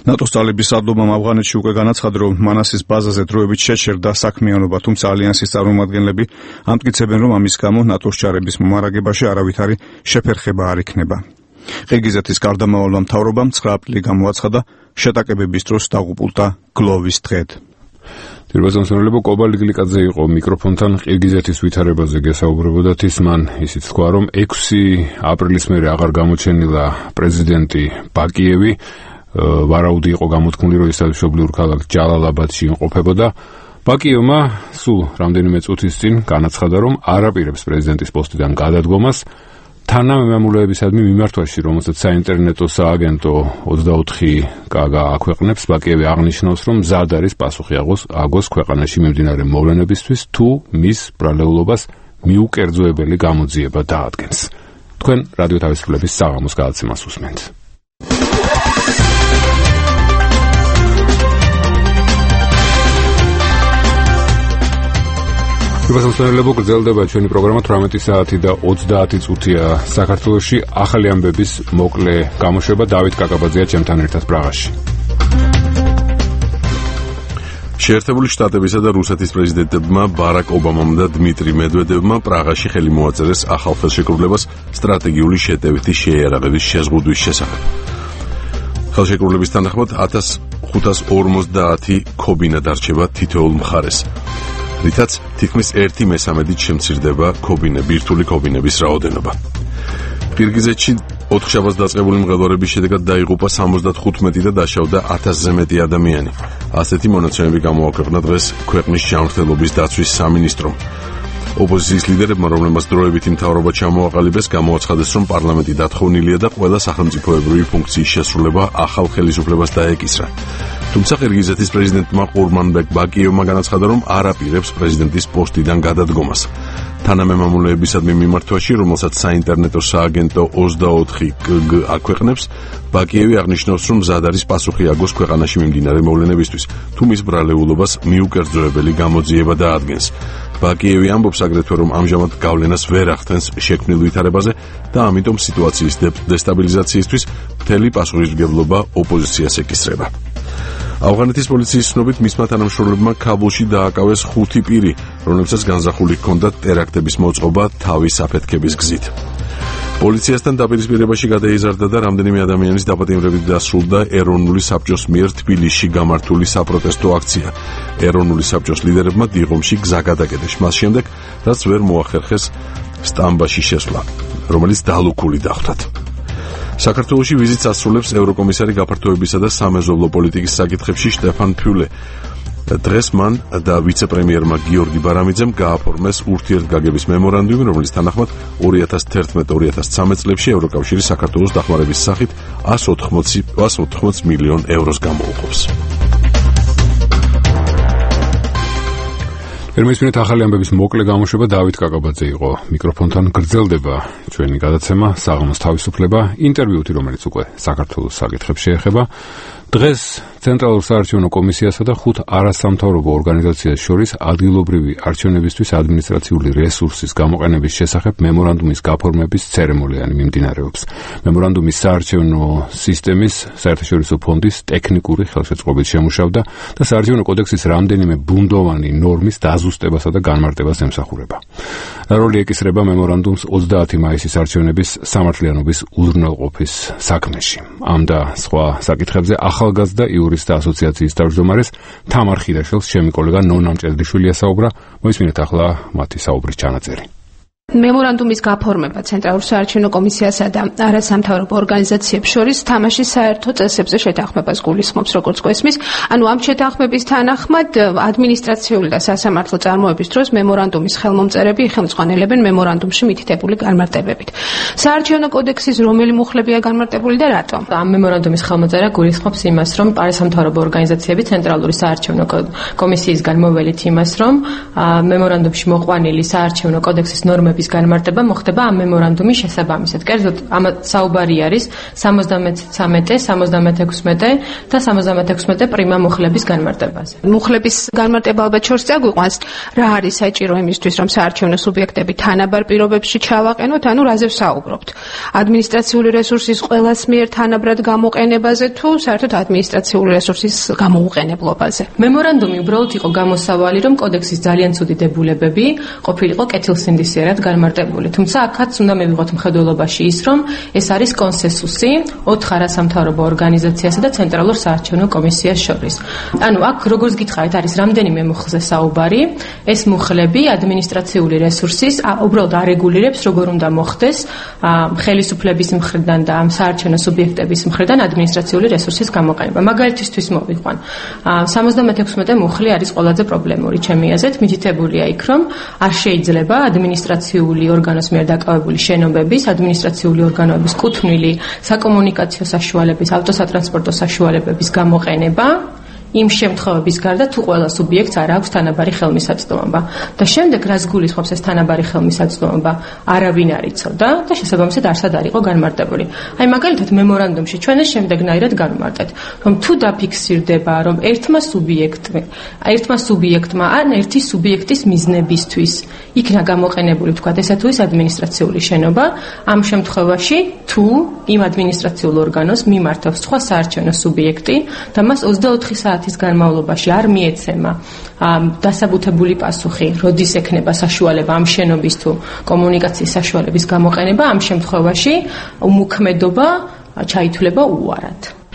ნატოს ძალების სარდლობამ ავღანეთში უკვე განაცხადა, რომ მანასის ბაზაზე დროებით შეჩერდა საქმიანობა, თუმცა ალიანსის წარმომადგენლები ამტკიცებენ, რომ ამის გამო ნატოს ჯარების მომარაგებაში არავითარი შეფერხება არ იქნება. ყირგიზეთის გარდამავალმა მთავრობამ 9 აპრილი გამოაცხადა შეტაკებების დროს დაღუპულთა გლოვის დღედ. თირბაზონსონელებო კობალტ გლიკაძე იყო მიკროფონთან ყირგიზეთის ვითარებაზე გესაუბრებოდათ. ის მან ისიც თქვა, რომ 6 აპრილის მერე აღარ გამოჩენილა პრეზიდენტი ბაკიევი, ვარაუდი იყო გამოთქმული, რომ ის მშობლიურ ქალაქ ჯალალაბადში იმყოფებოდა. ბაკიევმა სულ რამდენიმე წუთის წინ განაცხადა, რომ არ აპირებს პრეზიდენტის პოსტიდან გადადგომას თანამემამულეებისადმი მიმართვაში, რომელსაც საინტერნეტო სააგენტო 24 კაგა აქვეყნებს, ბაკიევი აღნიშნავს, რომ მზად არის პასუხი აგოს ქვეყანაში მიმდინარე მოვლენებისთვის, თუ მის ბრალეულობას მიუკერძოებელი გამოძიება დაადგენს. თქვენ რადიო თავისუფლების საღამოს გადაცემას უსმენთ. Υπასამსმენელებო, გრძელდება ჩვენი პროგრამა 18 საათი და 30 წუთია საქართველოში. ახალი ამბების მოკლე გამოშვება დავით კაკაბაძეა ჩემთან ერთად პრაღაში. შეერთებული შტატებისა და რუსეთის პრეზიდენტებმა ბარაკ ობამამ და დმიტრი მედვედევმა პრაღაში ხელი მოაწერეს ახალ ხელშეკრულებას სტრატეგიული შეტევითი შეიარაღების შეზღუდვის შესახებ. ხელშეკრულების თანახმად 1550 ქობინა დარჩება თითოეულ მხარეს. რითაც თითქმის 1/3-ით შემცირდება ბირთვული ქობინების რაოდენობა. ყირგიზეთში 4 შაბათს დაწყებული მღელვარების შედეგად დაიღუპა 75 და დაშავდა 1000-ზე მეტი ადამიანი. ასეთი მონაცემები გამოაქვეყნა დღეს ქვეყნის ჯანმრთელობის დაცვის სამინისტრომ. ოპოზიციის ლიდერებმა, რომლებმაც დროებითი მთავრობა ჩამოაყალიბეს, გამოაცხადეს, რომ პარლამენტი დათხოვნილია და ყველა სახელმწიფოებრივი ფუნქციის შესრულება ახალ ხელისუფლებას დაეკისრა. თუმცა ყირგიზეთის პრეზიდენტმა ყურმანბეკ ბაკიევმა განაცხადა, რომ არ აპირებს პრეზიდენტის პოსტიდან გადადგომას. თანამემამულეებისადმი მიმართვაში, რომელსაც საინტერნეტო სააგენტო 24 კგ აქვეყნებს, ბაკიევი აღნიშნავს, რომ მზად არის პასუხი აგოს ქვეყანაში მიმდინარე მოვლენებისთვის, თუ მის ბრალეულობას მიუკერძოებელი გამოძიება დაადგენს. ბაკიევი ამბობს აგრეთვე, რომ ამჟამად გავლენას ვერ ახდენს შექმნილ ვითარებაზე და ამიტომ სიტუაციის დესტაბილიზაციისთვის მთელი პასუხისმგებლობა ოპოზიციას ეკისრება. ავღანეთის პოლიციის ცნობით მისმა თანამშრომლებმა ქაბულში დააკავეს 5 პირი, რომლებსაც განზრახული ჰქონდათ ტერაქტების მოწყობა თავის აფეთქების გზით. პოლიციასთან დაპირისპირებაში გადაიზარდა და რამდენიმე ადამიანის დაპატიმრებით დასრულდა ეროვნული საბჭოს მიერ თბილისში გამართული საპროტესტო აქცია. ეროვნული საბჭოს ლიდერებმა დიღომში გზა გადაკეტეს მას შემდეგ, რაც ვერ მოახერხეს სტამბაში შესვლა, რომელიც დალუქული დახვდათ. საქართველოში ვიზიტს ასრულებს ევროკომისარი გაფართოებისა და სამეზობლო პოლიტიკის საკითხებში შტეფან ფიულე. დღეს მან და ვიცე-პრემიერმა გიორგი ბარამიძემ გააფორმეს ურთიერთგაგების მემორანდუმი, რომლის თანახმად 2011-2013 წლებში ევროკავშირი საქართველოს დახმარების სახით 180 მილიონ ევროს გამოუყოფს. ერმისმინეთ ახალი ამბების მოკლე გამოშვება დავით კაკაბაძე იყო მიკროფონთან. გრძელდება ჩვენი გადაცემა საღამოს თავისუფლება, ინტერვიუთი, რომელიც უკვე საქართველოს საკითხებს შეეხება. დღეს ცენტრალურ საარჩევნო კომისიასა და 5 არასამთავრობო ორგანიზაციას შორის ადგილობრივი არჩევნებისთვის ადმინისტრაციული რესურსის გამოყენების შესახებ მემორანდუმის გაფორმების ცერემონია მიმდინარეობს. მემორანდუმის საარჩევნო სისტემის საერთაშორისო ფონდის ტექნიკური ხელშეწყობით შემუშავდა და საარჩევნო კოდექსის რამდენიმე ბუნდოვანი ნორმის დაზუსტებასა და განმარტებას ემსახურება. როლი ეკისრება მემორანდუმს 30 მაისის არჩევნების სამართლიანობის უზრუნველყოფის საქმეში. ამ და სხვა საკითხებზე ახალგაზრდა იურისტთა ასოციაციის თავმჯდომარეს თამარ ხიდაშვილს ჩემი კოლეგა ნონა მჭედლიშვილი ასაუბრა. მოისმინეთ ახლა მათი საუბრის ჩანაწერი. მემორანდუმის გაფორმება ცენტრალურ საარჩევნო კომისიასა და არასამთავრობო ორგანიზაციებს შორის თამაშის საერთო წესებზე შეთანხმებას გულისხმობს, როგორც გვესმის. ანუ ამ შეთანხმების თანახმად ადმინისტრაციული და სასამართლო წარმოების დროს მემორანდუმის ხელმომწერები იხელმძღვანელებენ მემორანდუმში მითითებული განმარტებებით. საარჩევნო კოდექსის რომელი მუხლებია განმარტებული და რატომ? ამ მემორანდუმის ხელმოწერა გულისხმობს იმას, რომ არასამთავრობო ორგანიზაციები ცენტრალური საარჩევნო კომისიისგან მოველით იმას, რომ მემორანდუმში მოყვანილი საარჩევნო კოდექსის ნორმების განმარტება მოხდება ამ მემორანდუმის შესაბამისად. კერძოდ, ამ საუბარი არის 73, 76 და 76 პრიმა მუხლების განმარტებაზე. მუხლების განმარტება ალბათ შორს წაგვიყვანს, რა არის საჭირო იმისთვის, რომ საარჩევნო სუბიექტები თანაბარ პირობებში ჩავაყენოთ, ანუ რაზე ვსაუბრობთ? ადმინისტრაციული რესურსის ყველას მიერ თანაბრად გამოყენებაზე თუ საერთოდ ადმინისტრაციული რესურსის გამოუყენებლობაზე? მემორანდუმი უბრალოდ იყო გამოსავალი, რომ კოდექსის ძალიან ცუდი დებულებები ყოფილიყო კეთილსინდისიერად განმარტებული. თუმცა აქაც უნდა მივიღოთ მხედველობაში ის, რომ ეს არის კონსენსუსი 4 არასამთავრობო ორგანიზაციასა და ცენტრალურ საარჩევნო კომისიას შორის. ანუ აქ როგორც გითხარით, არის რამდენიმე მუხლზე საუბარი. ეს მუხლები ადმინისტრაციული რესურსის უბრალოდ არეგულირებს, როგორ უნდა მოხდეს ხელისუფლების მხრიდან და ამ საარჩევნო სუბიექტების მხრიდან ადმინისტრაციული რესურსის გამოყენება. მაგალითისთვის მოვიყვან. 76 მუხლი არის ყველაზე პრობლემური ჩემი აზრით, მითითებულია იქ, რომ არ შეიძლება ადმინისტრაციული ადმინისტრაციული ორგანოს მიერ დაკავებული შენობების, ადმინისტრაციული ორგანოების კუთვნილი საკომუნიკაციო საშუალების, ავტოსატრანსპორტო საშუალებების გამოყენება იმ შემთხვევების გარდა თუ ყველა სუბიექტს არ აქვს თანაბარი ხელმისაწვდომობა და შემდეგ რაც გულისხმობს ეს თანაბარი ხელმისაწვდომობა არავინ არ იცოდა და შესაბამისად არსად არ იყო განმარტებული. აი მაგალითად მემორანდუმში ჩვენ ეს შემდეგნაირად განმარტეთ, რომ თუ დაფიქსირდება, რომ ერთმა სუბიექტმა ან ერთი სუბიექტის მიზნებისთვის იქნა გამოყენებული თქვათ ესა თუ ის ადმინისტრაციული შენობა, ამ შემთხვევაში თუ იმ ადმინისტრაციულ ორგანოს მიმართავს სხვა საარჩევნო სუბიექტი და მას 24 საათის განმავლობაში არ მიეცემა დასაბუთებული პასუხი, როდის ექნება საშუალება ამ შენობის თუ კომუნიკაციის საშუალების გამოყენება, ამ შემთხვევაში უმოქმედობა ჩაითვლება უარად.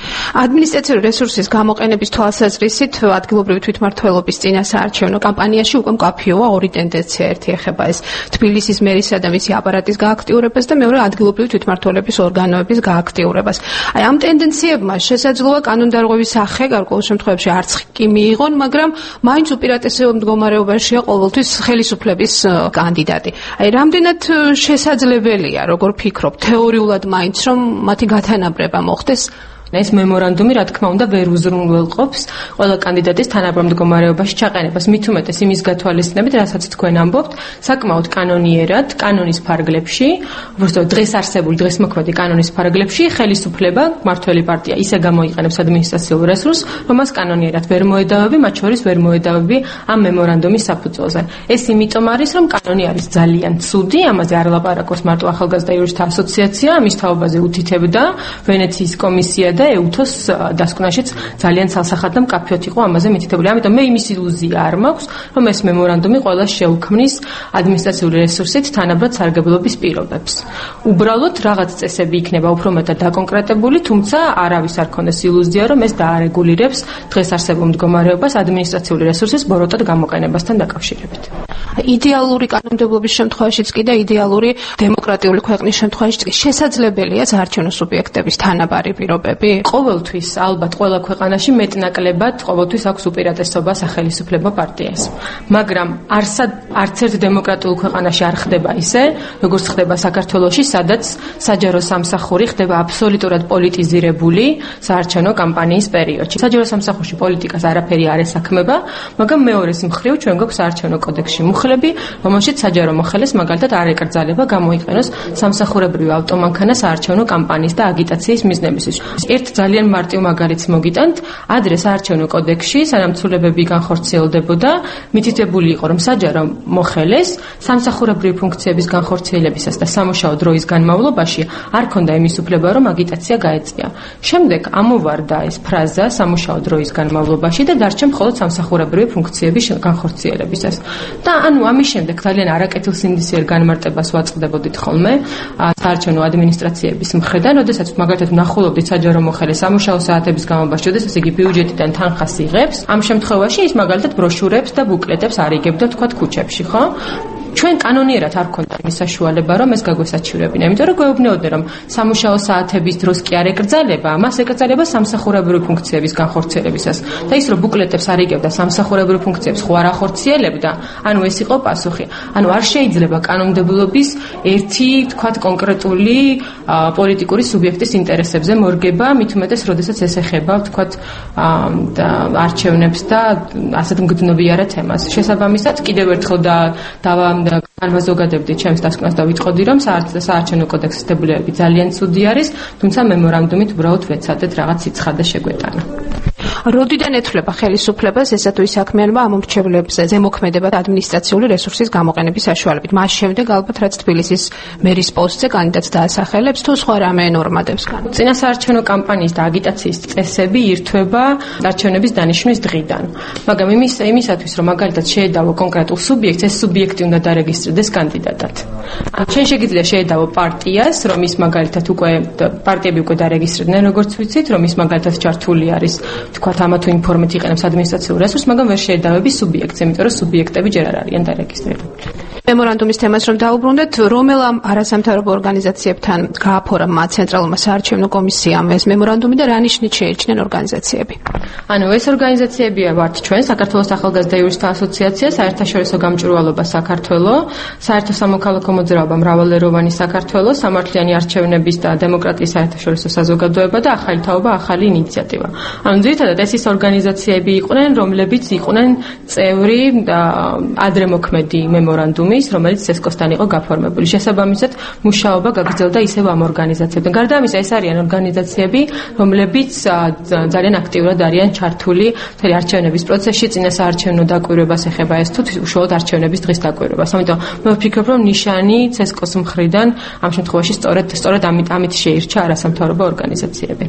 ადმინისტრაციული რესურსის გამოყენების თვალსაზრისით ადგილობრივი თვითმმართველობის წინა საარჩევნო კამპანიაში უკვე მკაფიოა ორი ტენდენცია. ერთი ეხება ეს თბილისის მერისა და მისი აპარატის გააქტიურებას და მეორე ადგილობრივი თვითმმართველობის ორგანოების გააქტიურებას. აი ამ ტენდენციებმა შესაძლოა კანონდარღვევის სახე გარკვეულ შემთხვევებში არც კი მიიღონ, მაგრამ მაინც უპირატესეულ მდგომარეობაშია ყოველთვის ხელისუფლების კანდიდატი. აი რამდენად შესაძლებელია, როგორ ფიქრობ, თეორიულად მაინც რომ მათი გათანაბრება მოხდეს? ეს მემორანდუმი რა თქმა უნდა ვერ უზრუნველყოფს ყველა კანდიდატის თანაბრად მდგომარეობაში ჩაყენებას. მით უმეტეს იმის გათვალისწინებით, რასაც თქვენ ამბობთ, საკმაოდ კანონიერად, კანონის ფარგლებში, უბრალოდ დღეს არსებული, დღეს მოქმედი კანონის ფარგლებში ხელისუფლება, მმართველი პარტია ისე გამოიყენებს ადმინისტრაციულ რესურსს, რომ მას კანონიერად ვერ მოედავები, მათ შორის ვერ მოედავები ამ მემორანდუმის საფუძველზე. ეს იმიტომ არის, რომ კანონი არის ძალიან ცუდი, ამაზე არ ლაპარაკობს მარტო ახალგაზრდა იურისტთა ასოციაცია, ამის თაობაზე უთითებდა ვენეციის კომისია და ეუთოს დასკვნაშიც ძალიან ცალსახად და მკაფიოდ იყო ამაზე მითითებული. ამიტომ მე იმის ილუზია არ მაქვს, რომ ეს მემორანდუმი ყველა შეუქმნის ადმინისტრაციული რესურსით თანაბრად სარგებლობის პირობებს. უბრალოდ რაღაც წესები იქნება უფრო მეტად დაკონკრეტებული, თუმცა არავის არ ქონდეს ილუზია, რომ ეს დაარეგულირებს დღეს არსებულ მდგომარეობას ადმინისტრაციული რესურსის ბოროტად გამოყენებასთან დაკავშირებით. იდეალური კანონმდებლობის შემთხვევაშიც კი და იდეალური დემოკრატიული ქვეყნის შემთხვევაშიც კი შესაძლებელია საარჩევნო სუბიექტების თანაბარი პირობები. ყოველთვის ალბათ ყველა ქვეყანაში მეტნაკლებად ყოველთვის აქვს უპირატესობა სახელისუფლებო პარტიას. მაგრამ არც ერთ დემოკრატიულ ქვეყანაში არ ხდება ისე, როგორც ხდება საქართველოში, სადაც საჯარო სამსახური ხდება აბსოლუტურად პოლიტიზირებული საარჩევნო კამპანიის პერიოდში. საჯარო სამსახურში პოლიტიკას არაფერი არ ესაქმება, მაგრამ მეორეს მხრივ ჩვენ გვაქვს საარჩევნო კოდექსში მუხლები, რომელშიც საჯარო მოხელეს მაგალითად არ ეკრძალება გამოიყენოს სამსახურებრივი ავტომანქანა საარჩევნო კამპანიის და აგიტაციის მიზნებისთვის. ერთ ძალიან მარტივ მაგალითს მოგიტანთ, ადრე საარჩევნო კოდექსში სანამ ცვლილებები განხორციელდებოდა, მითითებული იყო, რომ საჯარო მოხელეს სამსახურებრივი ფუნქციების განხორციელებისას და სამუშაო დროის განმავლობაში არ ქონდა იმის უფლება, რომ აგიტაცია გაეწია. შემდეგ ამოვარდა ეს ფრაზა სამუშაო დროის განმავლობაში და დარჩა მხოლოდ სამსახურებრივი ფუნქციების განხორციელებისას. და ანუ ამის შემდეგ ძალიან არაკეთილსინდისიერ განმარტებას ვაწყდებოდით ხოლმე საარჩევნო ადმინისტრაციების მხრიდან, როდესაც მაგალითად ვნახულობდით საჯარო მოხელე სამუშაო საათების განმავლობაში, როდესაც იგი ბიუჯეტიდან თანხას იღებს, ამ შემთხვევაში ის მაგალითად ბროშურებს და ბუკლეტებს არიგებდა თქვათ ქუჩებში, ხო? ჩვენ კანონიერად არ ქონდა იმის საშუალება, რომ ეს გაგვესაჩივრებინა, იმიტომ რომ გვეუბნეოდნენ, რომ სამუშაო საათების დროს კი არ ეკრძალება, მას ეკრძალება სამსახურებრივი ფუნქციების განხორციელებისას. და ის რომ ბუკლეტებს არიგებდა სამსახურებრივი ფუნქციებს ხო არ ახორციელებდა, ანუ ეს იყო პასუხი. ანუ არ შეიძლება კანონმდებლობის ერთი, თქვათ, კონკრეტული პოლიტიკური სუბიექტის ინტერესებზე მორგება, მით უმეტეს, როდესაც ეს ეხება, თქვათ, არჩევნებს და ასეთ მგრძნობიარე თემას. შესაბამისად, კიდევ ერთხელ განვაზოგადებდი ჩემს დასკვნას და ვიტყოდი, რომ საარჩევნო კოდექსის დებულებები ძალიან ცუდი არის, თუმცა მემორანდუმით უბრალოდ ვეცადეთ რაღაც სიცხადე შეგვეტანა. როდიდან ეთვლება ხელისუფლებას ესა თუ ის საქმიანობა ამ მრჩევლებზე ზემოქმედება ადმინისტრაციული რესურსის გამოყენების საშუალებით. მას შემდეგ ალბათ რაც თბილისის მერის პოსტზე კანდიდატს დაასახელებს თუ სხვა რამე ნორმადებს გან. წინა საარჩევნო კამპანიის და აგიტაციის წესები ირთვება არჩევნების დანიშვნის დღიდან. მაგრამ იმისათვის რომ მაგალითად შეედავო კონკრეტულ სუბიექტს, ეს სუბიექტი უნდა დარეგისტრდეს კანდიდატად. ჩვენ შეგიძლია შეედავო პარტიას, რომ ის მაგალითად უკვე პარტიები უკვე დარეგისტრდნენ, როგორც ვიცით, რომ ის მაგალითად ჩართული არის თქვათ ამა თუ იმ ფორმით იყენებს ადმინისტრაციულ რესურსს, მაგრამ ვერ შეედავები სუბიექტს, იმიტომ რომ სუბიექტები ჯერ არ არიან დარეგისტრირებული. მემორანდუმის თემას რომ დაუბრუნდეთ, რომელ არასამთავრობო ორგანიზაციებთან გააფორა ცენტრალურმა საარჩევნო კომისიამ ეს მემორანდუმი და რა ნიშნით შეერჩნენ ორგანიზაციები? ანუ ეს ორგანიზაციებია ვართ ჩვენ, საქართველოს ახალგაზრდა იურისტთა ასოციაცია, საერთაშორისო გამჭვირვალობა საქართველოს, საერთო სამოქალაქო მოძრაობა მრავალეროვანი საქართველოს, სამართლიანი არჩევნების და დემოკრატიის საერთაშორისო საზოგადოება და ახალი თაობა, ახალი ინიციატივა. ანუ ძირითადად ეს ის ორგანიზაციები იყვნენ, რომლებიც იყვნენ წევრი და ადრე მოქმედი მემორანდუმის, რომელიც CESCO-სთან იყო გაფორმებული. შესაბამისად, მუშაობა გაგრძელდა ისევ ამ ორგანიზაციებთან. გარდა ამისა, ეს არიან ორგანიზაციები, რომლებიც ძალიან აქტიურად არიან ჩართული მთელი არჩევნების პროცესში, წინასაარჩევნო დაკვირვებას ეხება ეს თუ უშუალოდ არჩევნების დღის დაკვირვებას. ამიტომ მე ვფიქრობ, რომ ნიშანი CESCO-s მხრიდან ამ შემთხვევაში სწორედ ამით შეირჩა არასამთავრობო ორგანიზაციები.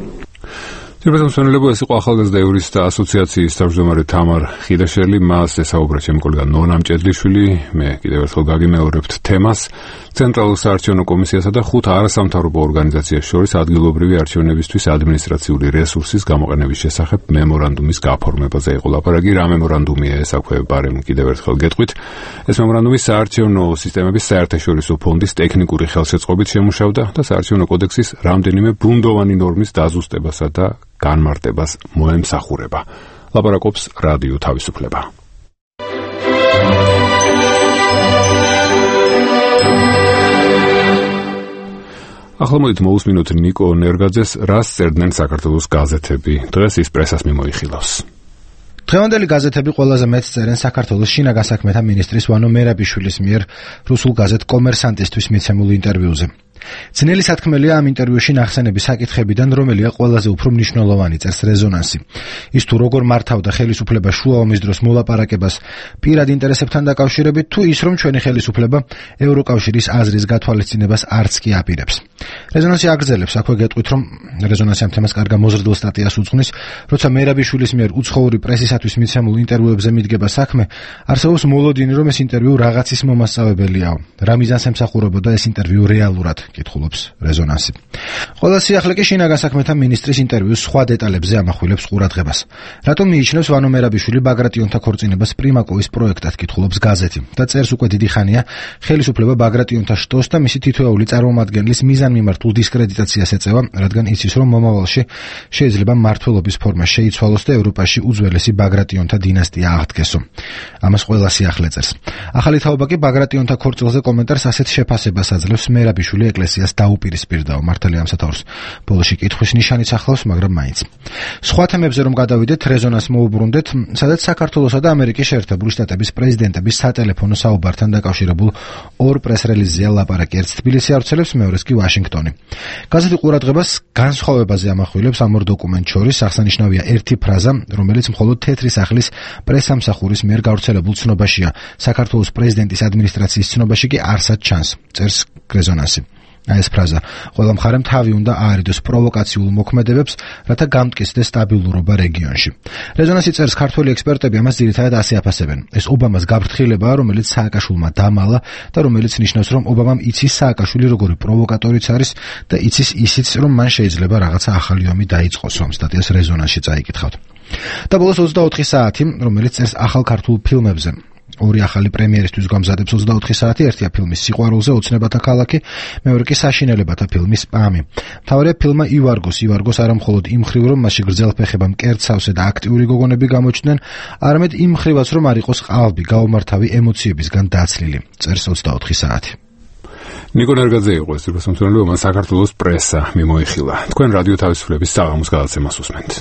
Ძირფესმცემელებო, ეს იყო ახალგაზრდა იურისტთა ასოციაციის თავმჯდომარე თამარ ხიდაშელი, მას ესაუბრა ჩემი კოლეგა ნონა მჭედლიშვილი. მე კიდევ ერთხელ გაგიმეორებთ თემას. ცენტრალურ საარჩევნო კომისიასა და 5 არასამთავრობო ორგანიზაციას შორის ადგილობრივი არჩევნებისთვის ადმინისტრაციული რესურსის გამოყენების შესახებ მემორანდუმის გაფორმებაზე იყო ლაპარაკი. რა მემორანდუმია ეს, აქვე ბარემ კიდევ ერთხელ გეტყვით. ეს მემორანდუმი საარჩევნო სისტემების საერთაშორისო ფონდის ტექნიკური ხელშეწყობით შემუშავდა და საარჩევნო კოდექსის რამდენიმე ბუნდოვანი ნორმის დაზუსტებასა და განმარტებას მოემსახურება. ლაპარაკობს რადიო თავისუფლება. ახლა მოდით მოусმინოთ ნიკო ნერგაძეს, რას წერდნენ საქართველოს გაზეთები. დღეს ის პრესას მიმოიხილავს. დღევანდელი გაზეთები ყველაზე მეტს წერენ საქართველოს შინაგან საქმეთა მინისტრის ვანო მერაბიშვილის მიერ რუსულ გაზეთ კომერსანტისთვის მიცემულ ინტერვიუზე. ძნელი სათქმელია ამ ინტერვიუში ნახსენები საკითხებიდან, რომელია ყველაზე უფრო მნიშვნელოვანი, წერს რეზონანსი. ის თუ როგორ მართავდა ხელისუფლება შუა ომის დროს მოლაპარაკებას პირად ინტერესებთან დაკავშირებით, თუ ის რომ ჩვენი ხელისუფლება ევროკავშირის აზრის გათვალისწინებას არც კი აპირებს. რეზონანსი აგრძელებს, აქვე გეტყვით, რომ რეზონანსი ამ თემას კარგ მოზრდილ სტატიას უძღვნის, როცა მერაბიშვილის მიერ უცხოური პრესისათვის მიცემულ ინტერვიუებზე მიდგება საქმე, არსებობს მოლოდინი, რომ ეს ინტერვიუ რაღაცის მომასწავებელიაო. რა მიზანს ემსახურებოდა ეს ინტერვიუ რეალურად? კითხულობს რეზონანსი. ყველა სიახლე კი შინაგან საქმეთა მინისტრის ინტერვიუს სხვა დეტალებზე ამახვილებს ყურადღებას. რატომ მიიჩნევს ვანო მერაბიშვილი ბაგრატიონთა ქორწინებას პრიმაკოვის პროექტად, კითხულობს გაზეთი და წერს უკვე დიდი ხანია ხელისუფლება ბაგრატიონთა შტოს და მისი თითოეული წარმომადგენლის მიზანმიმართულ დისკრედიტაციას ეწევა, რადგან იცის, რომ მომავალში შეიძლება მმართველობის ფორმა შეიცვალოს და ევროპაში უძველესი ბაგრატიონთა დინასტია აღდგესო. ამას ყველა სიახლე წერს. ახალი თაობა კი ბაგრატიონთა ქორწილზე კომენტარს ასეთ შეფასებას აძლევს მერაბიშვილი ეკლესიას დაუპირისპირდაო. მართალია ამ სათაურს ბოლოში კითხვის ნიშანიც ახლავს, მაგრამ მაინც. სხვა თემებზე რომ გადავიდეთ, რეზონანს მოუბრუნდეთ, სადაც საქართველოსა და ამერიკის შეერთებული შტატების პრეზიდენტების სატელეფონო საუბართან დაკავშირებულ ორ პრეს-რელიზზეა ლაპარაკი. ერთს თბილისი ავრცელებს, მეორეს კი ვაშინგტონი. გაზეთი ყურადღებას განსხვავებაზე ამახვილებს ამ ორ დოკუმენტ შორის. აღსანიშნავია ერთი ფრაზა, რომელიც მხოლოდ თეთრი სახლის პრესამსახურის მიერ გავრცელებულ ცნობაშია. საქართველოს პრეზიდენტის ადმინისტრაციის ცნობაში კი არსად ჩანს, წერს რეზონანსი. ეს ფრაზა ყველა მხარემ თავი უნდა აარიდოს პროვოკაციულ მოქმედებებს, რათა გამტკიცდეს სტაბილურობა რეგიონში. რეზონანსი წერს, ქართველი ექსპერტები ამას ძირითადად ასე აფასებენ. ეს ობამას გაფრთხილებაა, რომელიც სააკაშვილმა დამალა და რომელიც ნიშნავს, რომ ობამამ იცის სააკაშვილი როგორი პროვოკატორიც არის და იცის ისიც, რომ მან შეიძლება რაღაცა ახალი ომი დაიწყოს. ამ სტატიას რეზონანსში წაიკითხავთ. და ბოლოს 24 საათი, რომელიც წერს ახალ ქართულ ფილმებზე. ორი ახალი პრემიერისთვის გამზადებს 24 საათი, ერთია ფილმი სიყვარულზე, ოცნებათა ქალაქი, მეორე კი საშინელებათა ფილმი სპამი. მთავარია ფილმმა ივარგოს არა მხოლოდ იმ მხრივ, რომ მასში გრძელფეხება, მკერდსავსე და აქტიური გოგონები გამოჩნდნენ, არამედ იმ მხრივაც, რომ არ იყოს ყალბი, გაუმართავი ემოციებისგან დაცლილი, წერს 24 საათი. ნიკო ნერგაძე იყო ეს რუსულენოვანი, მან საქართველოს პრესა მიმოიხილა. თქვენ რადიო თავისუფლების საღამოს გადაცემას უსმენთ.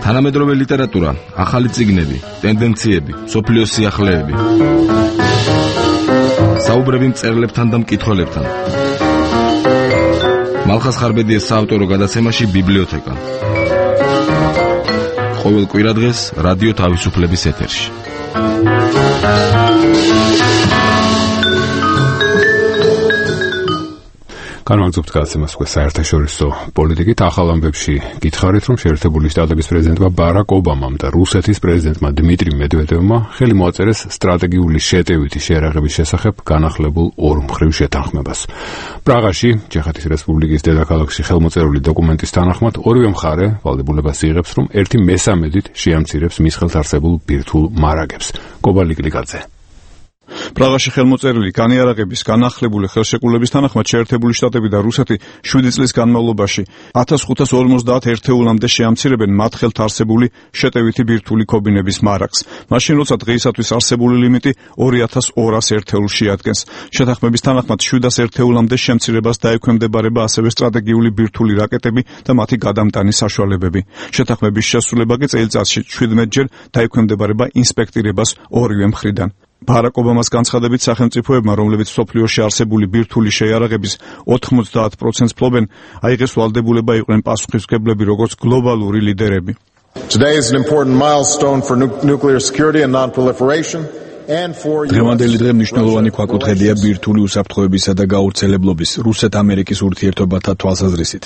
თანამედროვე ლიტერატურა, ახალი წიგნები, ტენდენციები, სოფლიოს სიახლეები. საუბრები მწერლებთან და მკითხველებთან. მალხას ხარბედიას საავტორო გადაცემაში ბიბლიოთეკა. ყოველ კვირადღეს რადიო თავისუფლების ეთერში. განვაგრძობთ გადაცემას უკვე საერთაშორისო პოლიტიკით. ახალ ამბებში გითხარით, რომ შეერთებული შტატების პრეზიდენტმა ბარაკ ობამამ და რუსეთის პრეზიდენტმა დმიტრი მედვედევმა ხელი მოაწერეს სტრატეგიული შეტევითი შეერაღების შესახებ განახლებულ ორმხრივ შეთანხმებას. პრაღაში, ჩეხეთის რესპუბლიკის დედაქალაქში ხელმოწერული დოკუმენტის თანახმად, ორივე მხარე ვალდებულებას იღებს, რომ 1/3-ით შეამცირებს მის ხელთ არსებულ ბირთვულ მარაგებს. კობალი კლიკაძე. პრაღაში ხელმოწერილი განიარაღების განახლებული ხელშეკრულების თანახმად შეერთებული შტატები და რუსეთი 7 წლის განმავლობაში 1550 ერთეულამდე შეამცირებენ მათ ხელთ არსებული შეტევითი ბირთვული ქობინების მარაგს. მაშინ როცა დღეისათვის არსებული ლიმიტი 2200 ერთეულს შეადგენს. შეთანხმების თანახმად 700 ერთეულამდე შემცირებას დაექვემდებარება ასევე სტრატეგიული ბირთვული რაკეტები და მათი გადამტანის საშუალებები. შეთანხმების შესრულება კი წელიწადში 17-ჯერ დაექვემდებარება ინსპექტირებას ორივე მხრიდან. ბარაკ ობამას განცხადებით სახელმწიფოებმა, რომლებიც მსოფლიოში არსებული ბირთვული შეიარაღების 90% ფლობენ, აიღეს ვალდებულება იყვნენ პასუხისმგებლები როგორც გლობალური ლიდერები. Today is an important milestone for nuclear security and non-proliferation. დღევანდელი დღე მნიშვნელოვანი ქვაკუთხედია ბირთვული უსაფრთხოებისა და გაავრცელებლობის რუსეთ-ამერიკის ურთიერთობათა თვალსაზრისით.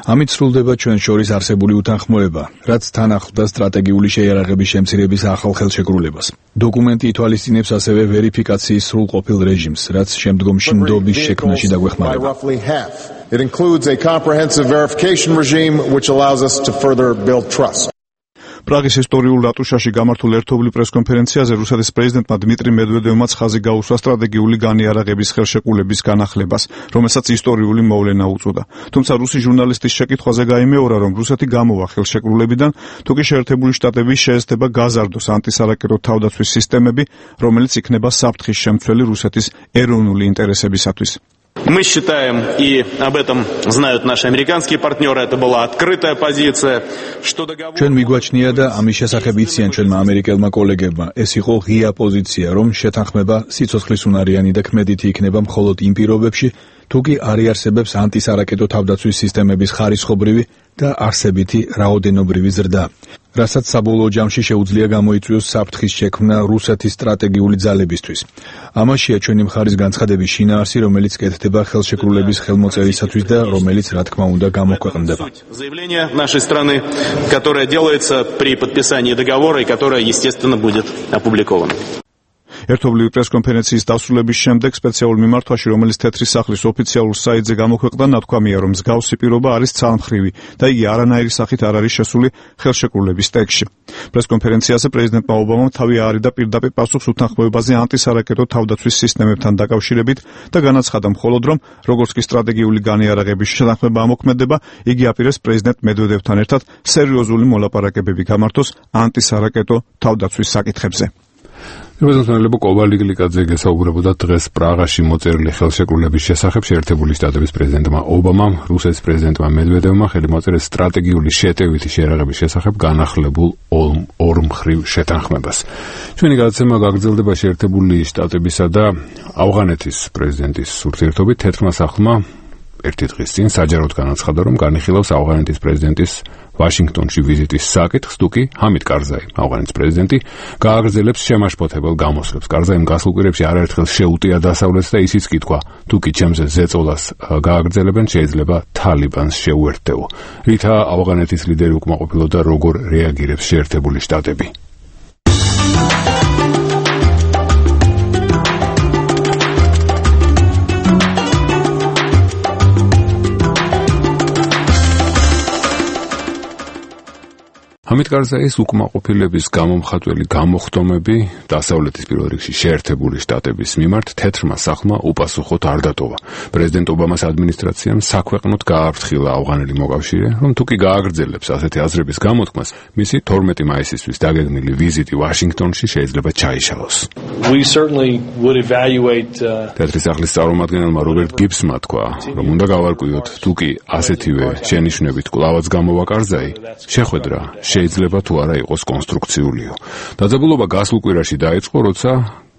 ამით სრულდება ჩვენ შორის არსებული უთანხმოება, რაც თან ახლდა სტრატეგიული შეიარაღების შემცირების ახალ ხელშეკრულებას. დოკუმენტი ითვალისწინებს ასევე ვერიფიკაციის სრულყოფილ რეჟიმს, რაც შემდგომში ნდობის შექმნაში დაგვეხმარება. It includes a comprehensive verification regime which allows us to further build trust. პრაღის ისტორიულ რატუშაში გამართულ ერთობლივ პრესკონფერენციაზე რუსეთის პრეზიდენტმა დმიტრი მედვედევმა ხაზი გაუსვა სტრატეგიული განიარაღების ხელშეკრულების განახლებას, რომელსაც ისტორიული მოვლენა უწოდა. თუმცა რუსი ჟურნალისტის შეკითხვაზე გაიმეორა, რომ რუსეთი გამოვა ხელშეკრულებიდან, თუკი შეერთებული შტატები შეესწება გაზარდოს ანტისარაკეტო თავდაცვის სისტემები, რომელიც იქნება საფრთხის შემცველი რუსეთის ეროვნული ინტერესებისათვის. Мы считаем, и об этом знают наши американские партнеры, это была открытая позиция, что договор... ჩვენ მიგვაჩნია და ამის შესახებ იციან ჩვენმა ამერიკელმა კოლეგებმა, ეს იყო ღია პოზიცია, რომ შეთანხმება სიცოცხლისუნარიანი და ქმედითი იქნება მხოლოდ იმ პირობებში, თუ კი არ იარსებებს ანტისარაკეტო თავდაცვის სისტემების ხარისხობრივი და არსებითი რაოდენობრივი ზრდა, რასაც საბოლოო ჯამში შეუძლია გამოიწვიოს საფრთხის შექმნა რუსეთის სტრატეგიული ძალებისთვის. ამაშია ჩვენი მხარის განცხადების შინაარსი, რომელიც კეთდება ხელშეკრულების ხელმოწერისათვის და რომელიც, რა თქმა უნდა, გამოქვეყნდება. Заявление нашей страны, которое делается при подписании договора и которое, естественно, будет опубликовано. ერთობლივი პრესკონფერენციის დასრულების შემდეგ სპეციალურ მიმართვაში, რომელიც თეთრი სახლის ოფიციალურ საიტზე გამოქვეყნდა, ნათქვამია, რომ მსგავსი პირობა არის ძალმხრივი და იგი არანაირი სახით არ არის შესული ხელშეკრულების ტექსტში. პრესკონფერენციაზე პრეზიდენტმა ობამამ თავი აარიდა პირდაპირ პასუხს უთანხმოებაზე ანტისარაკეტო თავდაცვის სისტემებთან დაკავშირებით და განაცხადა მხოლოდ, რომ როგორც კი სტრატეგიული განიარაღების შეთანხმება ამოქმედება, იგი აპირებს პრეზიდენტ მედვედევთან ერთად სერიოზული მოლაპარაკებები გამართოს ანტისარაკეტო თავდაცვის საკითხებზე. რეზოლუცია კობალი კლიკაძე გესაუბრებოდა დღეს პრაღაში მოწერილი ხელშეკრულების შესახებ. შეერთებული შტატების პრეზიდენტმა ობამამ, რუსეთის პრეზიდენტმა მედვედევმა ხელი მოაწერეს სტრატეგიული შეტევითი შეერაღების შესახებ განახლებულ ორმხრივ შეთანხმებას. ჩვენი გადაცემა გაგრძელდება შეერთებული შტატებისა და ავღანეთის პრეზიდენტის ურთიერთობით. თეთრმა სახლმა ერთი დღის წინ საჯაროდ განაცხადა, რომ განიხილავს ავღანეთის პრეზიდენტის ვაშინგტონში ვიზიტის საკითხს, თუკი ჰამიდ კარზაი, ავღანეთის პრეზიდენტი, გააგრძელებს შემაშფოთებელ გამოსვლებს. კარზაიმ გასულ კვირებში არაერთხელ შეუტია დასავლეთს და ისიც კითხვა, თუკი ჩემზე ზეწოლას გააგრძელებენ, შეიძლება თალიბანს შეუერთდეო. ρίთა ავღანეთის ლიდერი უკმაყოფილოდა, როგორ რეაგირებს შეერთებული შტატები. ჰამიდ კარზაის უკმაყოფილების გამომხატველი გამოხდომები დასავლეთის პირველ რიგში შეერთებული შტატების მიმართ თეთრმა სახლმა უპასუხოდ არ დატოვა. პრეზიდენტ ობამას ადმინისტრაციამ საქვეყნოდ გააფრთხილა ავღანელი მოკავშირე, რომ თუკი გააგრძელებს ასეთი აზრების გამოთქმას, მისი 12 მაისისთვის დაგეგმილი ვიზიტი ვაშინგტონში შეიძლება ჩაიშალოს. თეთრი სახლის წარმომადგენელმა რობერტ გიბსმა თქვა, რომ უნდა გავარკვიოთ, თუკი ასეთივე შენიშვნებით კვლავაც გამოვა კარზაი, შეხვედრა შეიძლება თუ არა იყოს კონსტრუქციულიო. დაძაბულობა გასულ კვირაში დაიწყო, როცა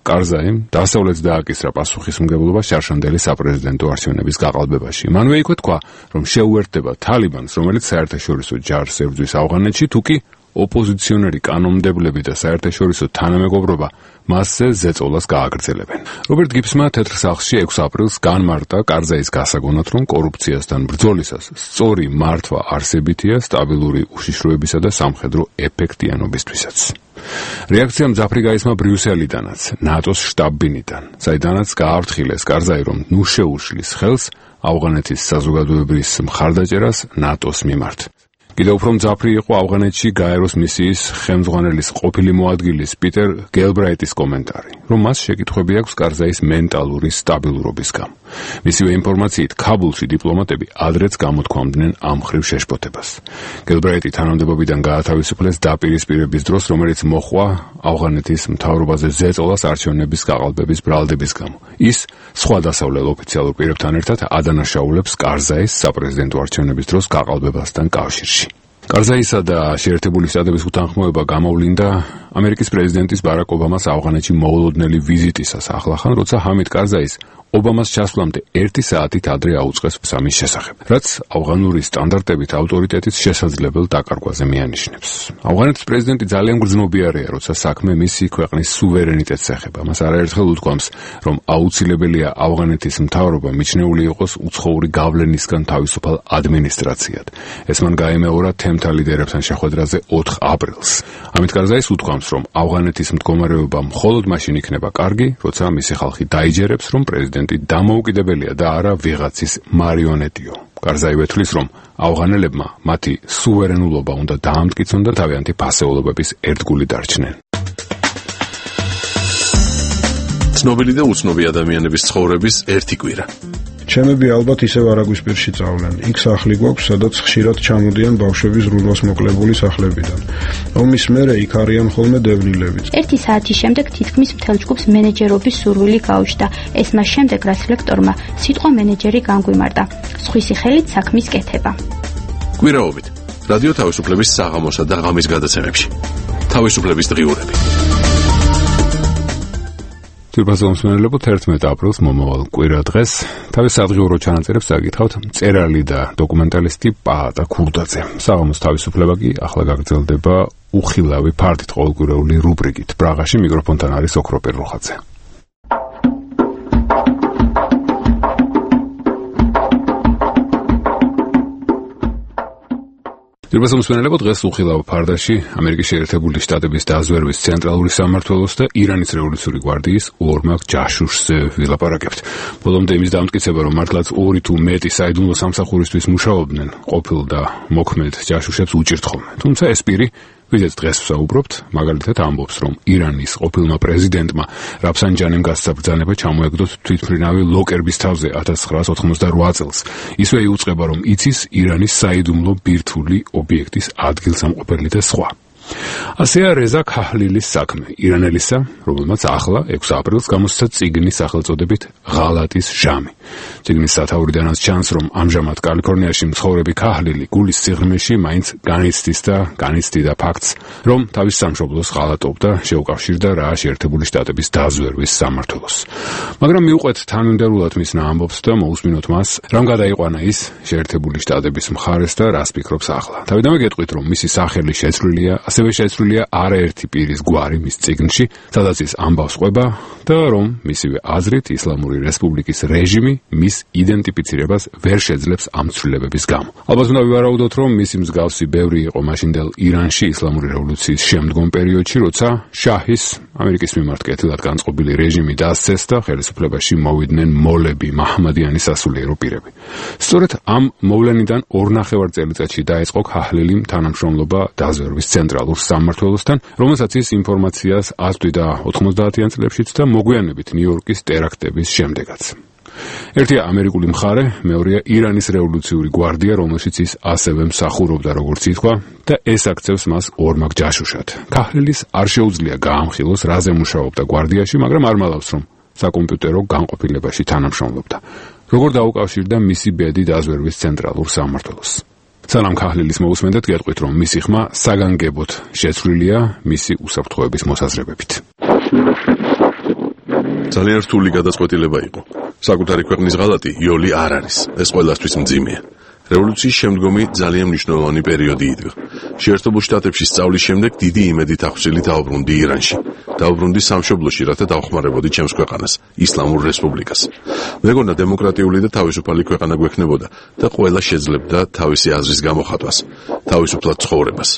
კარზაიმ დასავლეთს დააკისრა პასუხისმგებლობა შარშანდელი საპრეზიდენტო არჩევნების გაყალბებაში. მანვე იქვე თქვა, რომ შეუერთდება თალიბანს, რომელიც საერთაშორისო ჯარს ებრძვის ავღანეთში, თუკი ოპოზიციონერი კანონმდებლები და საერთაშორისო თანამეგობრობა მასზე ზეწოლას გააგრძელებენ. რობერტ გიბსმა თეთრ სახლში 6 აპრილს განმარტა კარზაის გასაგონად, რომ კორუფციასთან ბრძოლისას სწორი მართვა არსებითია სტაბილური უშიშროებისა და სამხედრო ეფექტიანობისთვისაც. რეაქცია მძაფრი გაისმა ბრიუსელიდანაც, ნატოს შტაბ-ბინიდან, საიდანაც გააფრთხილეს კარზაი, რომ ნუ შეუშლის ხელს ავღანეთის საზოგადოებრივ მხარდაჭერას ნატოს მიმართ. კიდევ უფრო მძაფრი იყო ავღანეთში გაეროს მისიის ხელმძღვანელის ყოფილი მოადგილის პიტერ გელბრაიტის კომენტარი, რომ მას შეკითხვები აქვს კარზაის მენტალური სტაბილურობის გამო. მისივე ინფორმაციით, ქაბულში დიპლომატები ადრეც გამოთქვამდნენ ამ ხრივ შეშფოთებას. გელბრაიტი თანამდებობიდან გაათავისუფლეს დაპირისპირების დროს, რომელიც მოჰყვა ავღანეთის მთავრობაზე ზეწოლას არჩევნების გაყალბების ბრალდების გამო. ის სხვა დასავლელ ოფიციალურ პირებთან ერთად ადანაშაულებს კარზაის საპრეზიდენტო არჩევნების დროს გაყალბებასთან კავშირში. კარზაისა და შეერთებული შტატების უთანხმოება გამოვლინდა ამერიკის პრეზიდენტის ბარაკ ობამას ავღანეთში მოულოდნელი ვიზიტისას ახლახან, როცა ჰამიდ კარზაის ობამას ჩასვლამდე 1 საათით ადრე აუწყეს სამის შესახებ, რაც ავღანური სტანდარტებით ავტორიტეტის შესაძლებელ დაკარგვაზე მიანიშნებს. ავღანეთის პრეზიდენტი ძალიან გრძნობიარეა, როცა საქმე მისი ქვეყნის სუვერენიტეტს ეხება. მას არაერთხელ უთქვამს, რომ აუცილებელია ავღანეთის მთავრობა მიჩნეული იყოს უცხოური გავლენისგან თავისუფალ ადმინისტრაციად. ეს მან გაემეორა თემთა ლიდერებთან შეხვედრაზე 4 აპრილს. ამით კარზაის უთქვამს, რომ ავღანეთის მდგომარეობა მხოლოდ მაშინ იქნება კარგი, როცა მისი ხალხი დაიჯერებს, რომ პრეზიდენტი დამოუკიდებელია და არა ვიღაცის მარიონეტიო. კარზაი ვეთვლის, რომ ავღანელებმა მათი სუვერენულობა უნდა დაამტკიცონ და თავიანთი ფასეულობების ერთგული დარჩნენ. ცნობილი და უცნობი ადამიანების ცხოვრების ერთი კვირა. ჩემები ალბათ ისევ არაგვის პირში წავლენ. იქ სახლი გვაქვს, სადაც ხშირად ჩამოდიან ბავშვები ზრუნვას მოკლებული სახლებიდან. ომის მერე იქ არიან ხოლმე დევნილებიც. 1 საათის შემდეგ თითქმის მთელ ჯგუფს მენეჯერობის სურვილი გაუჩნდა. ეს მას შემდეგ, რაც ლექტორმა სიტყვა მენეჯერი განგვიმარტა. სხვისი ხელით საქმის კეთება. კვირაობით. რადიო თავისუფლების საღამოსა და ღამის გადაცემებში. თავისუფლების დღიურები. თვითმფრინაველებო 11 აპრილს მომავალ კვირა დღეს თავის სადღიურო ჩანაწერებს წაკითხავთ მწერალი და დოკუმენტალისტი პაატა ქურდაძე. საღამოს თავისუფლება კი ახლა გაგრძელდება უხილავი ფართით ყოველკვირეული რუბრიკით. პრაღაში მიკროფონთან არის ოქროპერ როხაძე. თვითმფრინაველებო დღეს უხილავ ფარდაში ამერიკის შეერთებული შტატების დაზვერვის ცენტრალური სამმართველოს და ირანის რევოლუციური გვარდიის ორმაგ ჯაშუშზე ვილაპარაკებთ. ბოლომდე იმის დამტკიცება, რომ მართლაც 2 თუ მეტი საიდუმლო სამსახურისთვის მუშაობდნენ, ყოფილ და მოქმედ ჯაშუშებს უჭირთ ხოლმე. თუმცა ეს პირი ვიდეც დღეს ვსაუბრობთ, მაგალითად ამბობს, რომ ირანის ყოფილმა პრეზიდენტმა რაფსანჯანიმ გასცა ბრძანება ჩამოეგდოთ თვითმფრინავი ლოკერბის თავზე 1988 წელს. ისვე იუწყება, რომ იცის ირანის საიდუმლო ბირთვული ობიექტის ადგილსამყოფელი და სხვა. ასეა რეზა ქაჰლილის საქმე, ირანელისა, რომელმაც ახლა 6 აპრილს გამოსცა წიგნი სახელწოდებით ღალატის ჟამი. წიგნის სათაურიდანაც ჩანს, რომ ამჟამად კალიფორნიაში მცხოვრები ქაჰლილი გულის სიღრმეში მაინც განიცდიდა ფაქტს, რომ თავის სამშობლოს ღალატობდა, შეუკავშირდა რა შეერთებული შტატების დაზვერვის სამმართველოს. მაგრამ მიუყვეთ თანმიმდევრულად მისნა ამბობს და მოусმინოთ მას, რამ გადაიყვანა ის შეერთებული შტატების მხარეს და რას ფიქრობს ახლა. თავიდანვე გეტყვით, რომ მისი სახელი შეცვლილია, ასევე შეცვლილია არაერთი პირის გვარი მის წიგნში, სადაც ის ამბავს ყვება და რომ მისივე აზრით ისლამური რესპუბლიკის რეჟიმი მის იდენტიფიცირებას ვერ შეძლებს ამ ცვლილებების გამო. ალბათ უნდა ვივარაუდოთ, რომ მისი მსგავსი ბევრი იყო მაშინდელ ირანში ისლამური რევოლუციის შემდგომ პერიოდში, როცა შაჰის ამერიკის მიმართ კეთილად განწყობილი რეჟიმი დასცეს და ხელისუფლებაში მოვიდნენ მოლები, მაჰმადიანის სასულიერო პირები. სწორედ ამ მოვლენიდან 2.5 წელიწადში დაიწყო ქაჰლილიმ თანამშრომლობა დაზვერვის ცენტრალურ სამმართველოსთან, რომელსაც ის ინფორმაციას აწვდიდა 90-იან წლებშიც და მოგვიანებით ნიუ-იორკის ტერაქტების შემდეგაც. ერთია ამერიკული მხარე, მეორეა ირანის რევოლუციური გვარდია, რომელშიც ის ასევე მსახურობდა, როგორც ითქვა, და ეს აქცევს მას ორმაგ ჯაშუშად. ქაჰლილის არ შეუძლია გაამხილოს, რაზე მუშაობდა გვარდიაში, მაგრამ არ მალავს, რომ საკომპიუტერო განყოფილებაში თანამშრომლობდა. როგორ დაუკავშირდა მისი ბედი დაზვერვის ცენტრალურ სამმართველოს. სალამ ქაჰლილის მოусმენდეთ, გეტყვით, რომ მისი ხმა საგანგებოდ შეცვლილია მისი უსაფრთხოების მოსაზრებებით. ძალიან რთული გადაწყვეტილება იყო. საკუთარი ქვეყნის ღალატი იოლი არ არის. ეს ყველასთვის მძიმეა. რევოლუციის შემდგომი ძალიან მნიშვნელოვანი პერიოდი იდგა. შეერთებულ შტატებში სწავლის შემდეგ დიდი იმედით ახსილი დაუბრუნდი ირანში. დაუბრუნდი სამშობლოში, რათა დავხმარებოდი ჩემს ქვეყანას, ისლამურ რესპუბლიკას. მეგონა დემოკრატიული და თავისუფალი ქვეყანა გვექნებოდა და ყველა შეძლებდა თავისი აზრის გამოხატვას, თავისუფლად ცხოვრებას.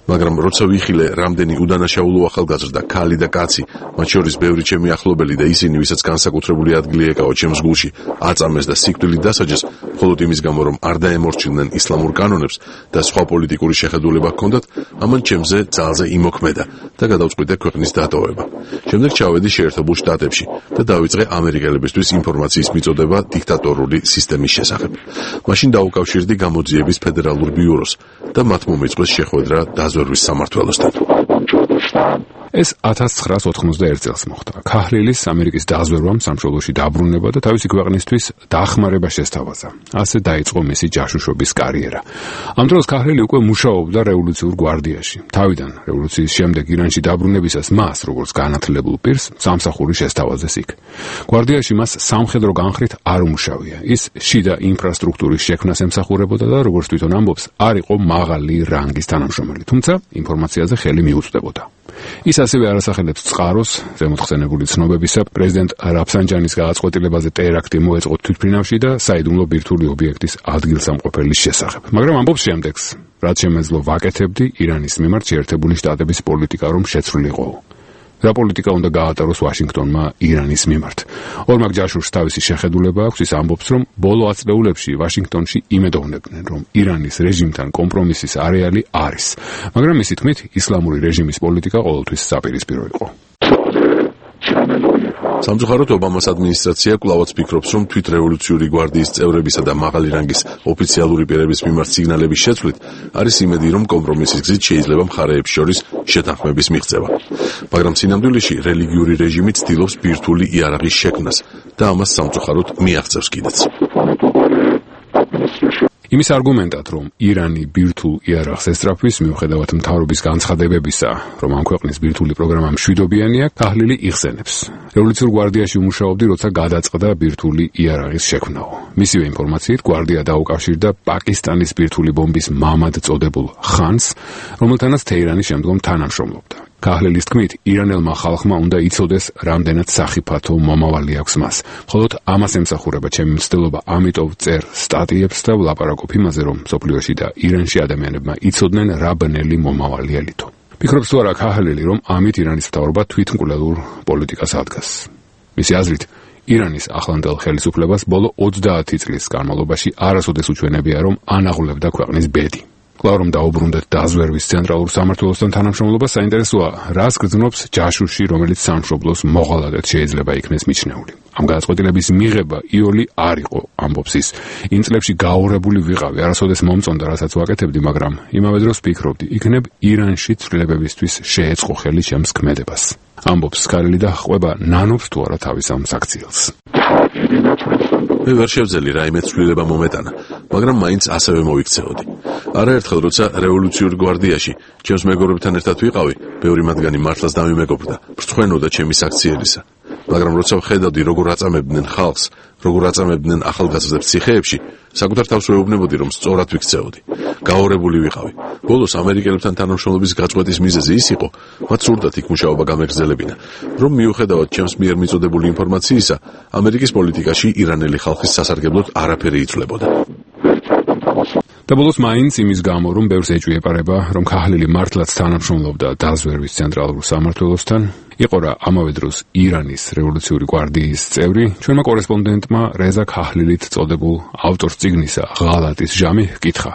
მაგრამ როცა ვიხილე რამდენი უდანაშაულო ახალგაზრდა, ქალი და კაცი, მათ შორის ბევრი ჩემი ახლობელი და ისინი, ვისაც განსაკუთრებული ადგილი ეკავა ჩემს გულში, აწამეს და სიკვდილით დასაჯეს, მხოლოდ იმის გამო, რომ არ დაემორჩილნენ ისლამურ კანონებს და სხვა პოლიტიკური შეხედულება ჰქონდათ, ამან ჩემზე ძალზე იმოქმედა და გადავწყვიტე ქვეყნის დატოვება. შემდეგ ჩავედი შეერთებულ შტატებში და დავიწყე ამერიკელებისთვის ინფორმაციის მიწოდება დიქტატორული სისტემის შესახებ. მაშინ დაუკავშირდი გამოძიების ფედერალურ ბიუროს და მათ მომეწყვეს შეხვედრა დაზვერვის სამმართველოსთან. ეს 1991 წელს მოხდა. ქაჰლილის ამერიკის დაზვერვამ სამშობლოში დაბრუნება და თავისი ქვეყნისთვის დახმარება შესთავაზა. ასე დაიწყო მისი ჯაშუშობის კარიერა. ამ დროს ქაჰლილი უკვე მუშაობდა რევოლუციურ გვარდიაში. თავიდან რევოლუციის შემდეგ ირანში დაბრუნებისას მას, როგორც განათლებულ პირს, სამსახური შესთავაზეს იქ. გვარდიაში მას სამხედრო განხრით არ უმუშავია. ის შიდა ინფრასტრუქტურის შექმნას ემსახურებოდა და როგორც თვითონ ამბობს, არ იყო მაღალი რანგის თანამშრომელი, თუმცა ინფორმაციაზე ხელი მიუწვდებოდა. ის ასევე არასახელებს წყაროს ზემოთხსენებული ცნობებისა პრეზიდენტ რაფსანჯანის გადაწყვეტილებაზე ტერაქტი მოეწყო თვითმფრინავში და საიდუმლო ბირთვული ობიექტის ადგილსამყოფელის შესახებ. მაგრამ ამბობს შემდეგს, რაც შემეძლო ვაკეთებდი ირანის მიმართ შეერთებული შტატების პოლიტიკა რომ შეცვლილიყო. რა პოლიტიკა უნდა გაატაროს ვაშინგტონმა ირანის მიმართ. ორმაგ ჯაშუშს თავისი შეხედულება აქვს, ის ამბობს, რომ ბოლო ათწლეულებში ვაშინგტონში იმედოვნებდნენ, რომ ირანის რეჟიმთან კომპრომისის არეალი არის, მაგრამ მისი თქმით, ისლამური რეჟიმის პოლიტიკა ყოველთვის საპირისპირო იყო. სამწუხაროდ ობამას ადმინისტრაცია კვლავაც ფიქრობს, რომ თვითრევოლუციური გვარდიის წევრებისა და მაღალი რანგის ოფიციალური პირების მიმართ სიგნალების შეცვლით არის იმედი, რომ კომპრომისის გზით შეიძლება მხარეებს შორის შეთანხმების მიღწევა. მაგრამ სინამდვილეში რელიგიური რეჟიმი ცდილობს ბირთვული იარაღის შექმნას და ამას სამწუხაროდ მიაღწევს კიდეც. იმის არგუმენტად, რომ ირანი ბირთვულ იარაღს ესწრაფვის, მიუხედავად მთავრობის განცხადებებისა, რომ ამ ქვეყნის ბირთვული პროგრამა მშვიდობიანია, ქაჰლილი იხსენებს. რევოლუციურ გვარდიაში უმუშაობდი, როცა გადაწყდა ბირთვული იარაღის შექმნაო. მისივე ინფორმაციით, გვარდია დაუკავშირდა პაკისტანის ბირთვული ბომბის მამად წოდებულ ხანს, რომელთანაც თეირანი შემდგომ თანამშრომლობდა. ქაჰლილის თქმით, ირანელმა ხალხმა უნდა იცოდეს, რამდენად სახიფათო მომავალი აქვს მას. მხოლოდ ამას ემსახურება ჩემი მცდელობა, ამიტომ წერ სტატიებს და ვლაპარაკობ იმაზე, რომ მსოფლიოში და ირანში ადამიანებმა იცოდნენ რა ბნელი მომავალი ელითო. ფიქრობს თუ არა ქაჰლილი, რომ ამით ირანის მთავრობა თვითმკვლელურ პოლიტიკას ადგას. მისი აზრით, ირანის ახლანდელ ხელისუფლებას ბოლო 20 წლის განმავლობაში არასოდეს უჩვენებია, რომ ანაღლებდა ქვეყნის ბედი. კვლავ რომ დაუბრუნდეთ დაზვერვის ცენტრალურ სამმართველოსთან თანამშრომლობა, საინტერესოა, რას გრძნობს ჯაშუში, რომელიც სამშობლოს მოღალატედ შეიძლება იქნეს მიჩნეული. ამ გადაწყვეტილების მიღება იოლი არ იყო, ამბობს ის. იმ წლებში გაურებული ვიყავი, არასოდეს მომწონდა, რასაც ვაკეთებდი, მაგრამ იმავე დროს ვფიქრობდი, იქნებ ირანში ცვლილებებისთვის შეეწყო ხელი ჩემს ქმედებას. ამბობს ქაჰლილი და ყვება ნანობს თუ არა თავის ამ საქციელს. მე ვერ შევძელი რაიმე ცვლილება მომეტანა, მაგრამ მაინც ასევე მოვიქცეოდი. არაერთხელ როცა რევოლუციურ გვარდიაში ჩემს მეგობრებთან ერთად ვიყავი, ბევრი მათგანი მართლაც დამიმეგობრდა, ბრწყვენოდა ჩემი საქციელისა. მაგრამ როცა ვხედავდი, როგორ აწამებდნენ ხალხს, როგორ აწამებდნენ ახალგაზრდებს ციხეებში, საკუთარ თავს ვეუბნებოდი, რომ სწორად ვიქცეოდი. გაორებული ვიყავი. ბოლოს ამერიკელებთან თანამშრომლობის გაწყვეტის მიზეზი ის იყო, მათ სურდათ იქ მუშაობა გამეგრძელებინა, რომ მიუხედავად ჩემს მიერ მიწოდებული ინფორმაციისა, ამერიკის პოლიტიკაში ირანელი ხალხის სასარგებლოდ არაფერი იცვლებოდა. და ბოლოს მაინც იმის გამო, რომ ბევრს ეჭვიეპარება, რომ ქაჰლილი მართლაც თანამშრომლობდა დაზვერვის ცენტრალურ სამმართველოსთან, იყო რა ამავე დროს ირანის რევოლუციური გვარდიის წევრი, ჩვენმა კორესპონდენტმა რეზა ქაჰლილით წოდებულ ავტორს წიგნისა ღალატის ჟამი ჰკითხა,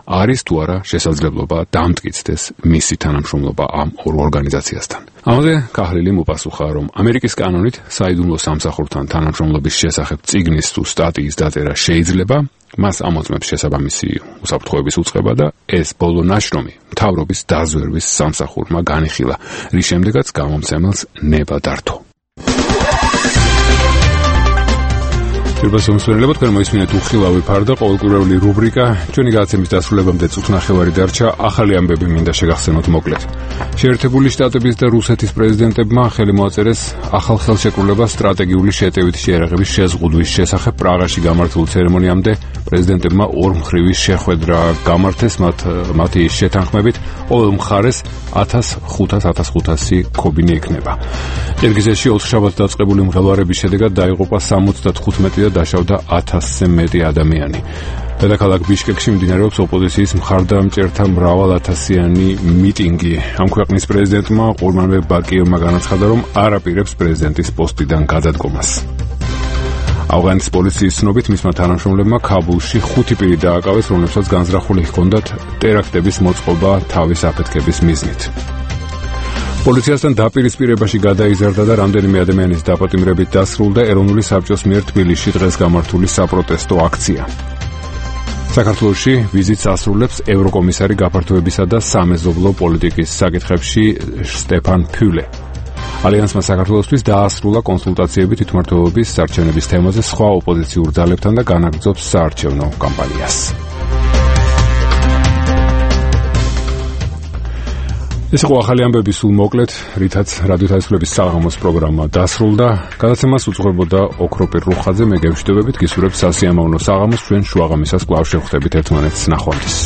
არის თუ არა შესაძლებლობა დამტკიცდეს მისი თანამშრომლობა ამ ორ ორგანიზაციასთან. ამაზე ქაჰლილი მოპასუხა, რომ ამერიკის კანონით საიდუმლო სამსახურთან თანამშრომლობის შესახებ წიგნის თუ სტატიის დაწერა შეიძლება, მას ამოწმებს შესაბამისი უსაფრთხოების უწყება და ეს ბოლო ნაშრომი მთავრობის დაზვერვის სამსახურმა განიხილა, რის შემდეგაც გამომცემელს ნება დართო. Მსმენელებო, თქვენ მოისმინეთ უხილავი ფარდა, ყოველკვირეული რუბრიკა. ჩვენი გადაცემის დასრულებამდე წუთ ნახევარი დარჩა. ახალი ამბები მინდა შეგახსენოთ მოკლედ. შეერთებული შტატების და რუსეთის პრეზიდენტებმა ხელი მოაწერეს ახალ ხელშეკრულებას სტრატეგიული შეტევითი შეერაღების შეზღუდვის შესახებ პრაღაში გამართულ ცერემონიამდე. პრეზიდენტებმა ორმხრივი შეხვედრა გამართეს მათი შეთანხმებით ყოველ მხარეს 1500 ქობინი ექნება. ყირგიზეთში 4 შაბათს დაწყებული მღელვარების შედეგად დაიღუპა 75 და დაშავდა 1000-ზე მეტი ადამიანი. დედაქალაქ ბიშკეკში მიმდინარეობს ოპოზიციის მხარდამჭერთა მრავალათასიანი მიტინგი. ამ ქვეყნის პრეზიდენტმა ყურმანბეკ ბაკიევმა განაცხადა, რომ არ აპირებს პრეზიდენტის პოსტიდან გადადგომას. ავღანის პოლიციის ცნობით მისმა თანამშრომლებმა ქაბულში 5 პირი დააკავეს, რომლებსაც განზრახული ჰქონდათ ტერაქტების მოწყობა თავის აფეთქების მიზნით. პოლიციასთან დაპირისპირებაში გადაიზარდა და რამდენიმე ადამიანის დაპატიმრებით დასრულდა ეროვნული საბჭოს მიერ თბილისში დღეს გამართული საპროტესტო აქცია. საქართველოში ვიზიტს ასრულებს ევროკომისარი გაფართოებისა და სამეზობლო პოლიტიკის საკითხებში სტეფან ფიულე. ალიანსმა საქართველოსთვის დაასრულა კონსულტაციები თვითმმართველობის საარჩევნების თემაზე სხვა ოპოზიციურ ძალებთან და განაგრძობს საარჩევნო კამპანიას. ეს იყო ახალი ამბები სულ მოკლედ, რითაც რადიო თავისუფლების საღამოს პროგრამა დასრულდა. გადაცემას უძღვებოდა ოქროპირ რუხაძე, მე გევშვიდობებით, გისურვებთ სასიამოვნო საღამოს, ჩვენ შუაღამისას კვლავ შევხვდებით ერთმანეთს. ნახვამდის.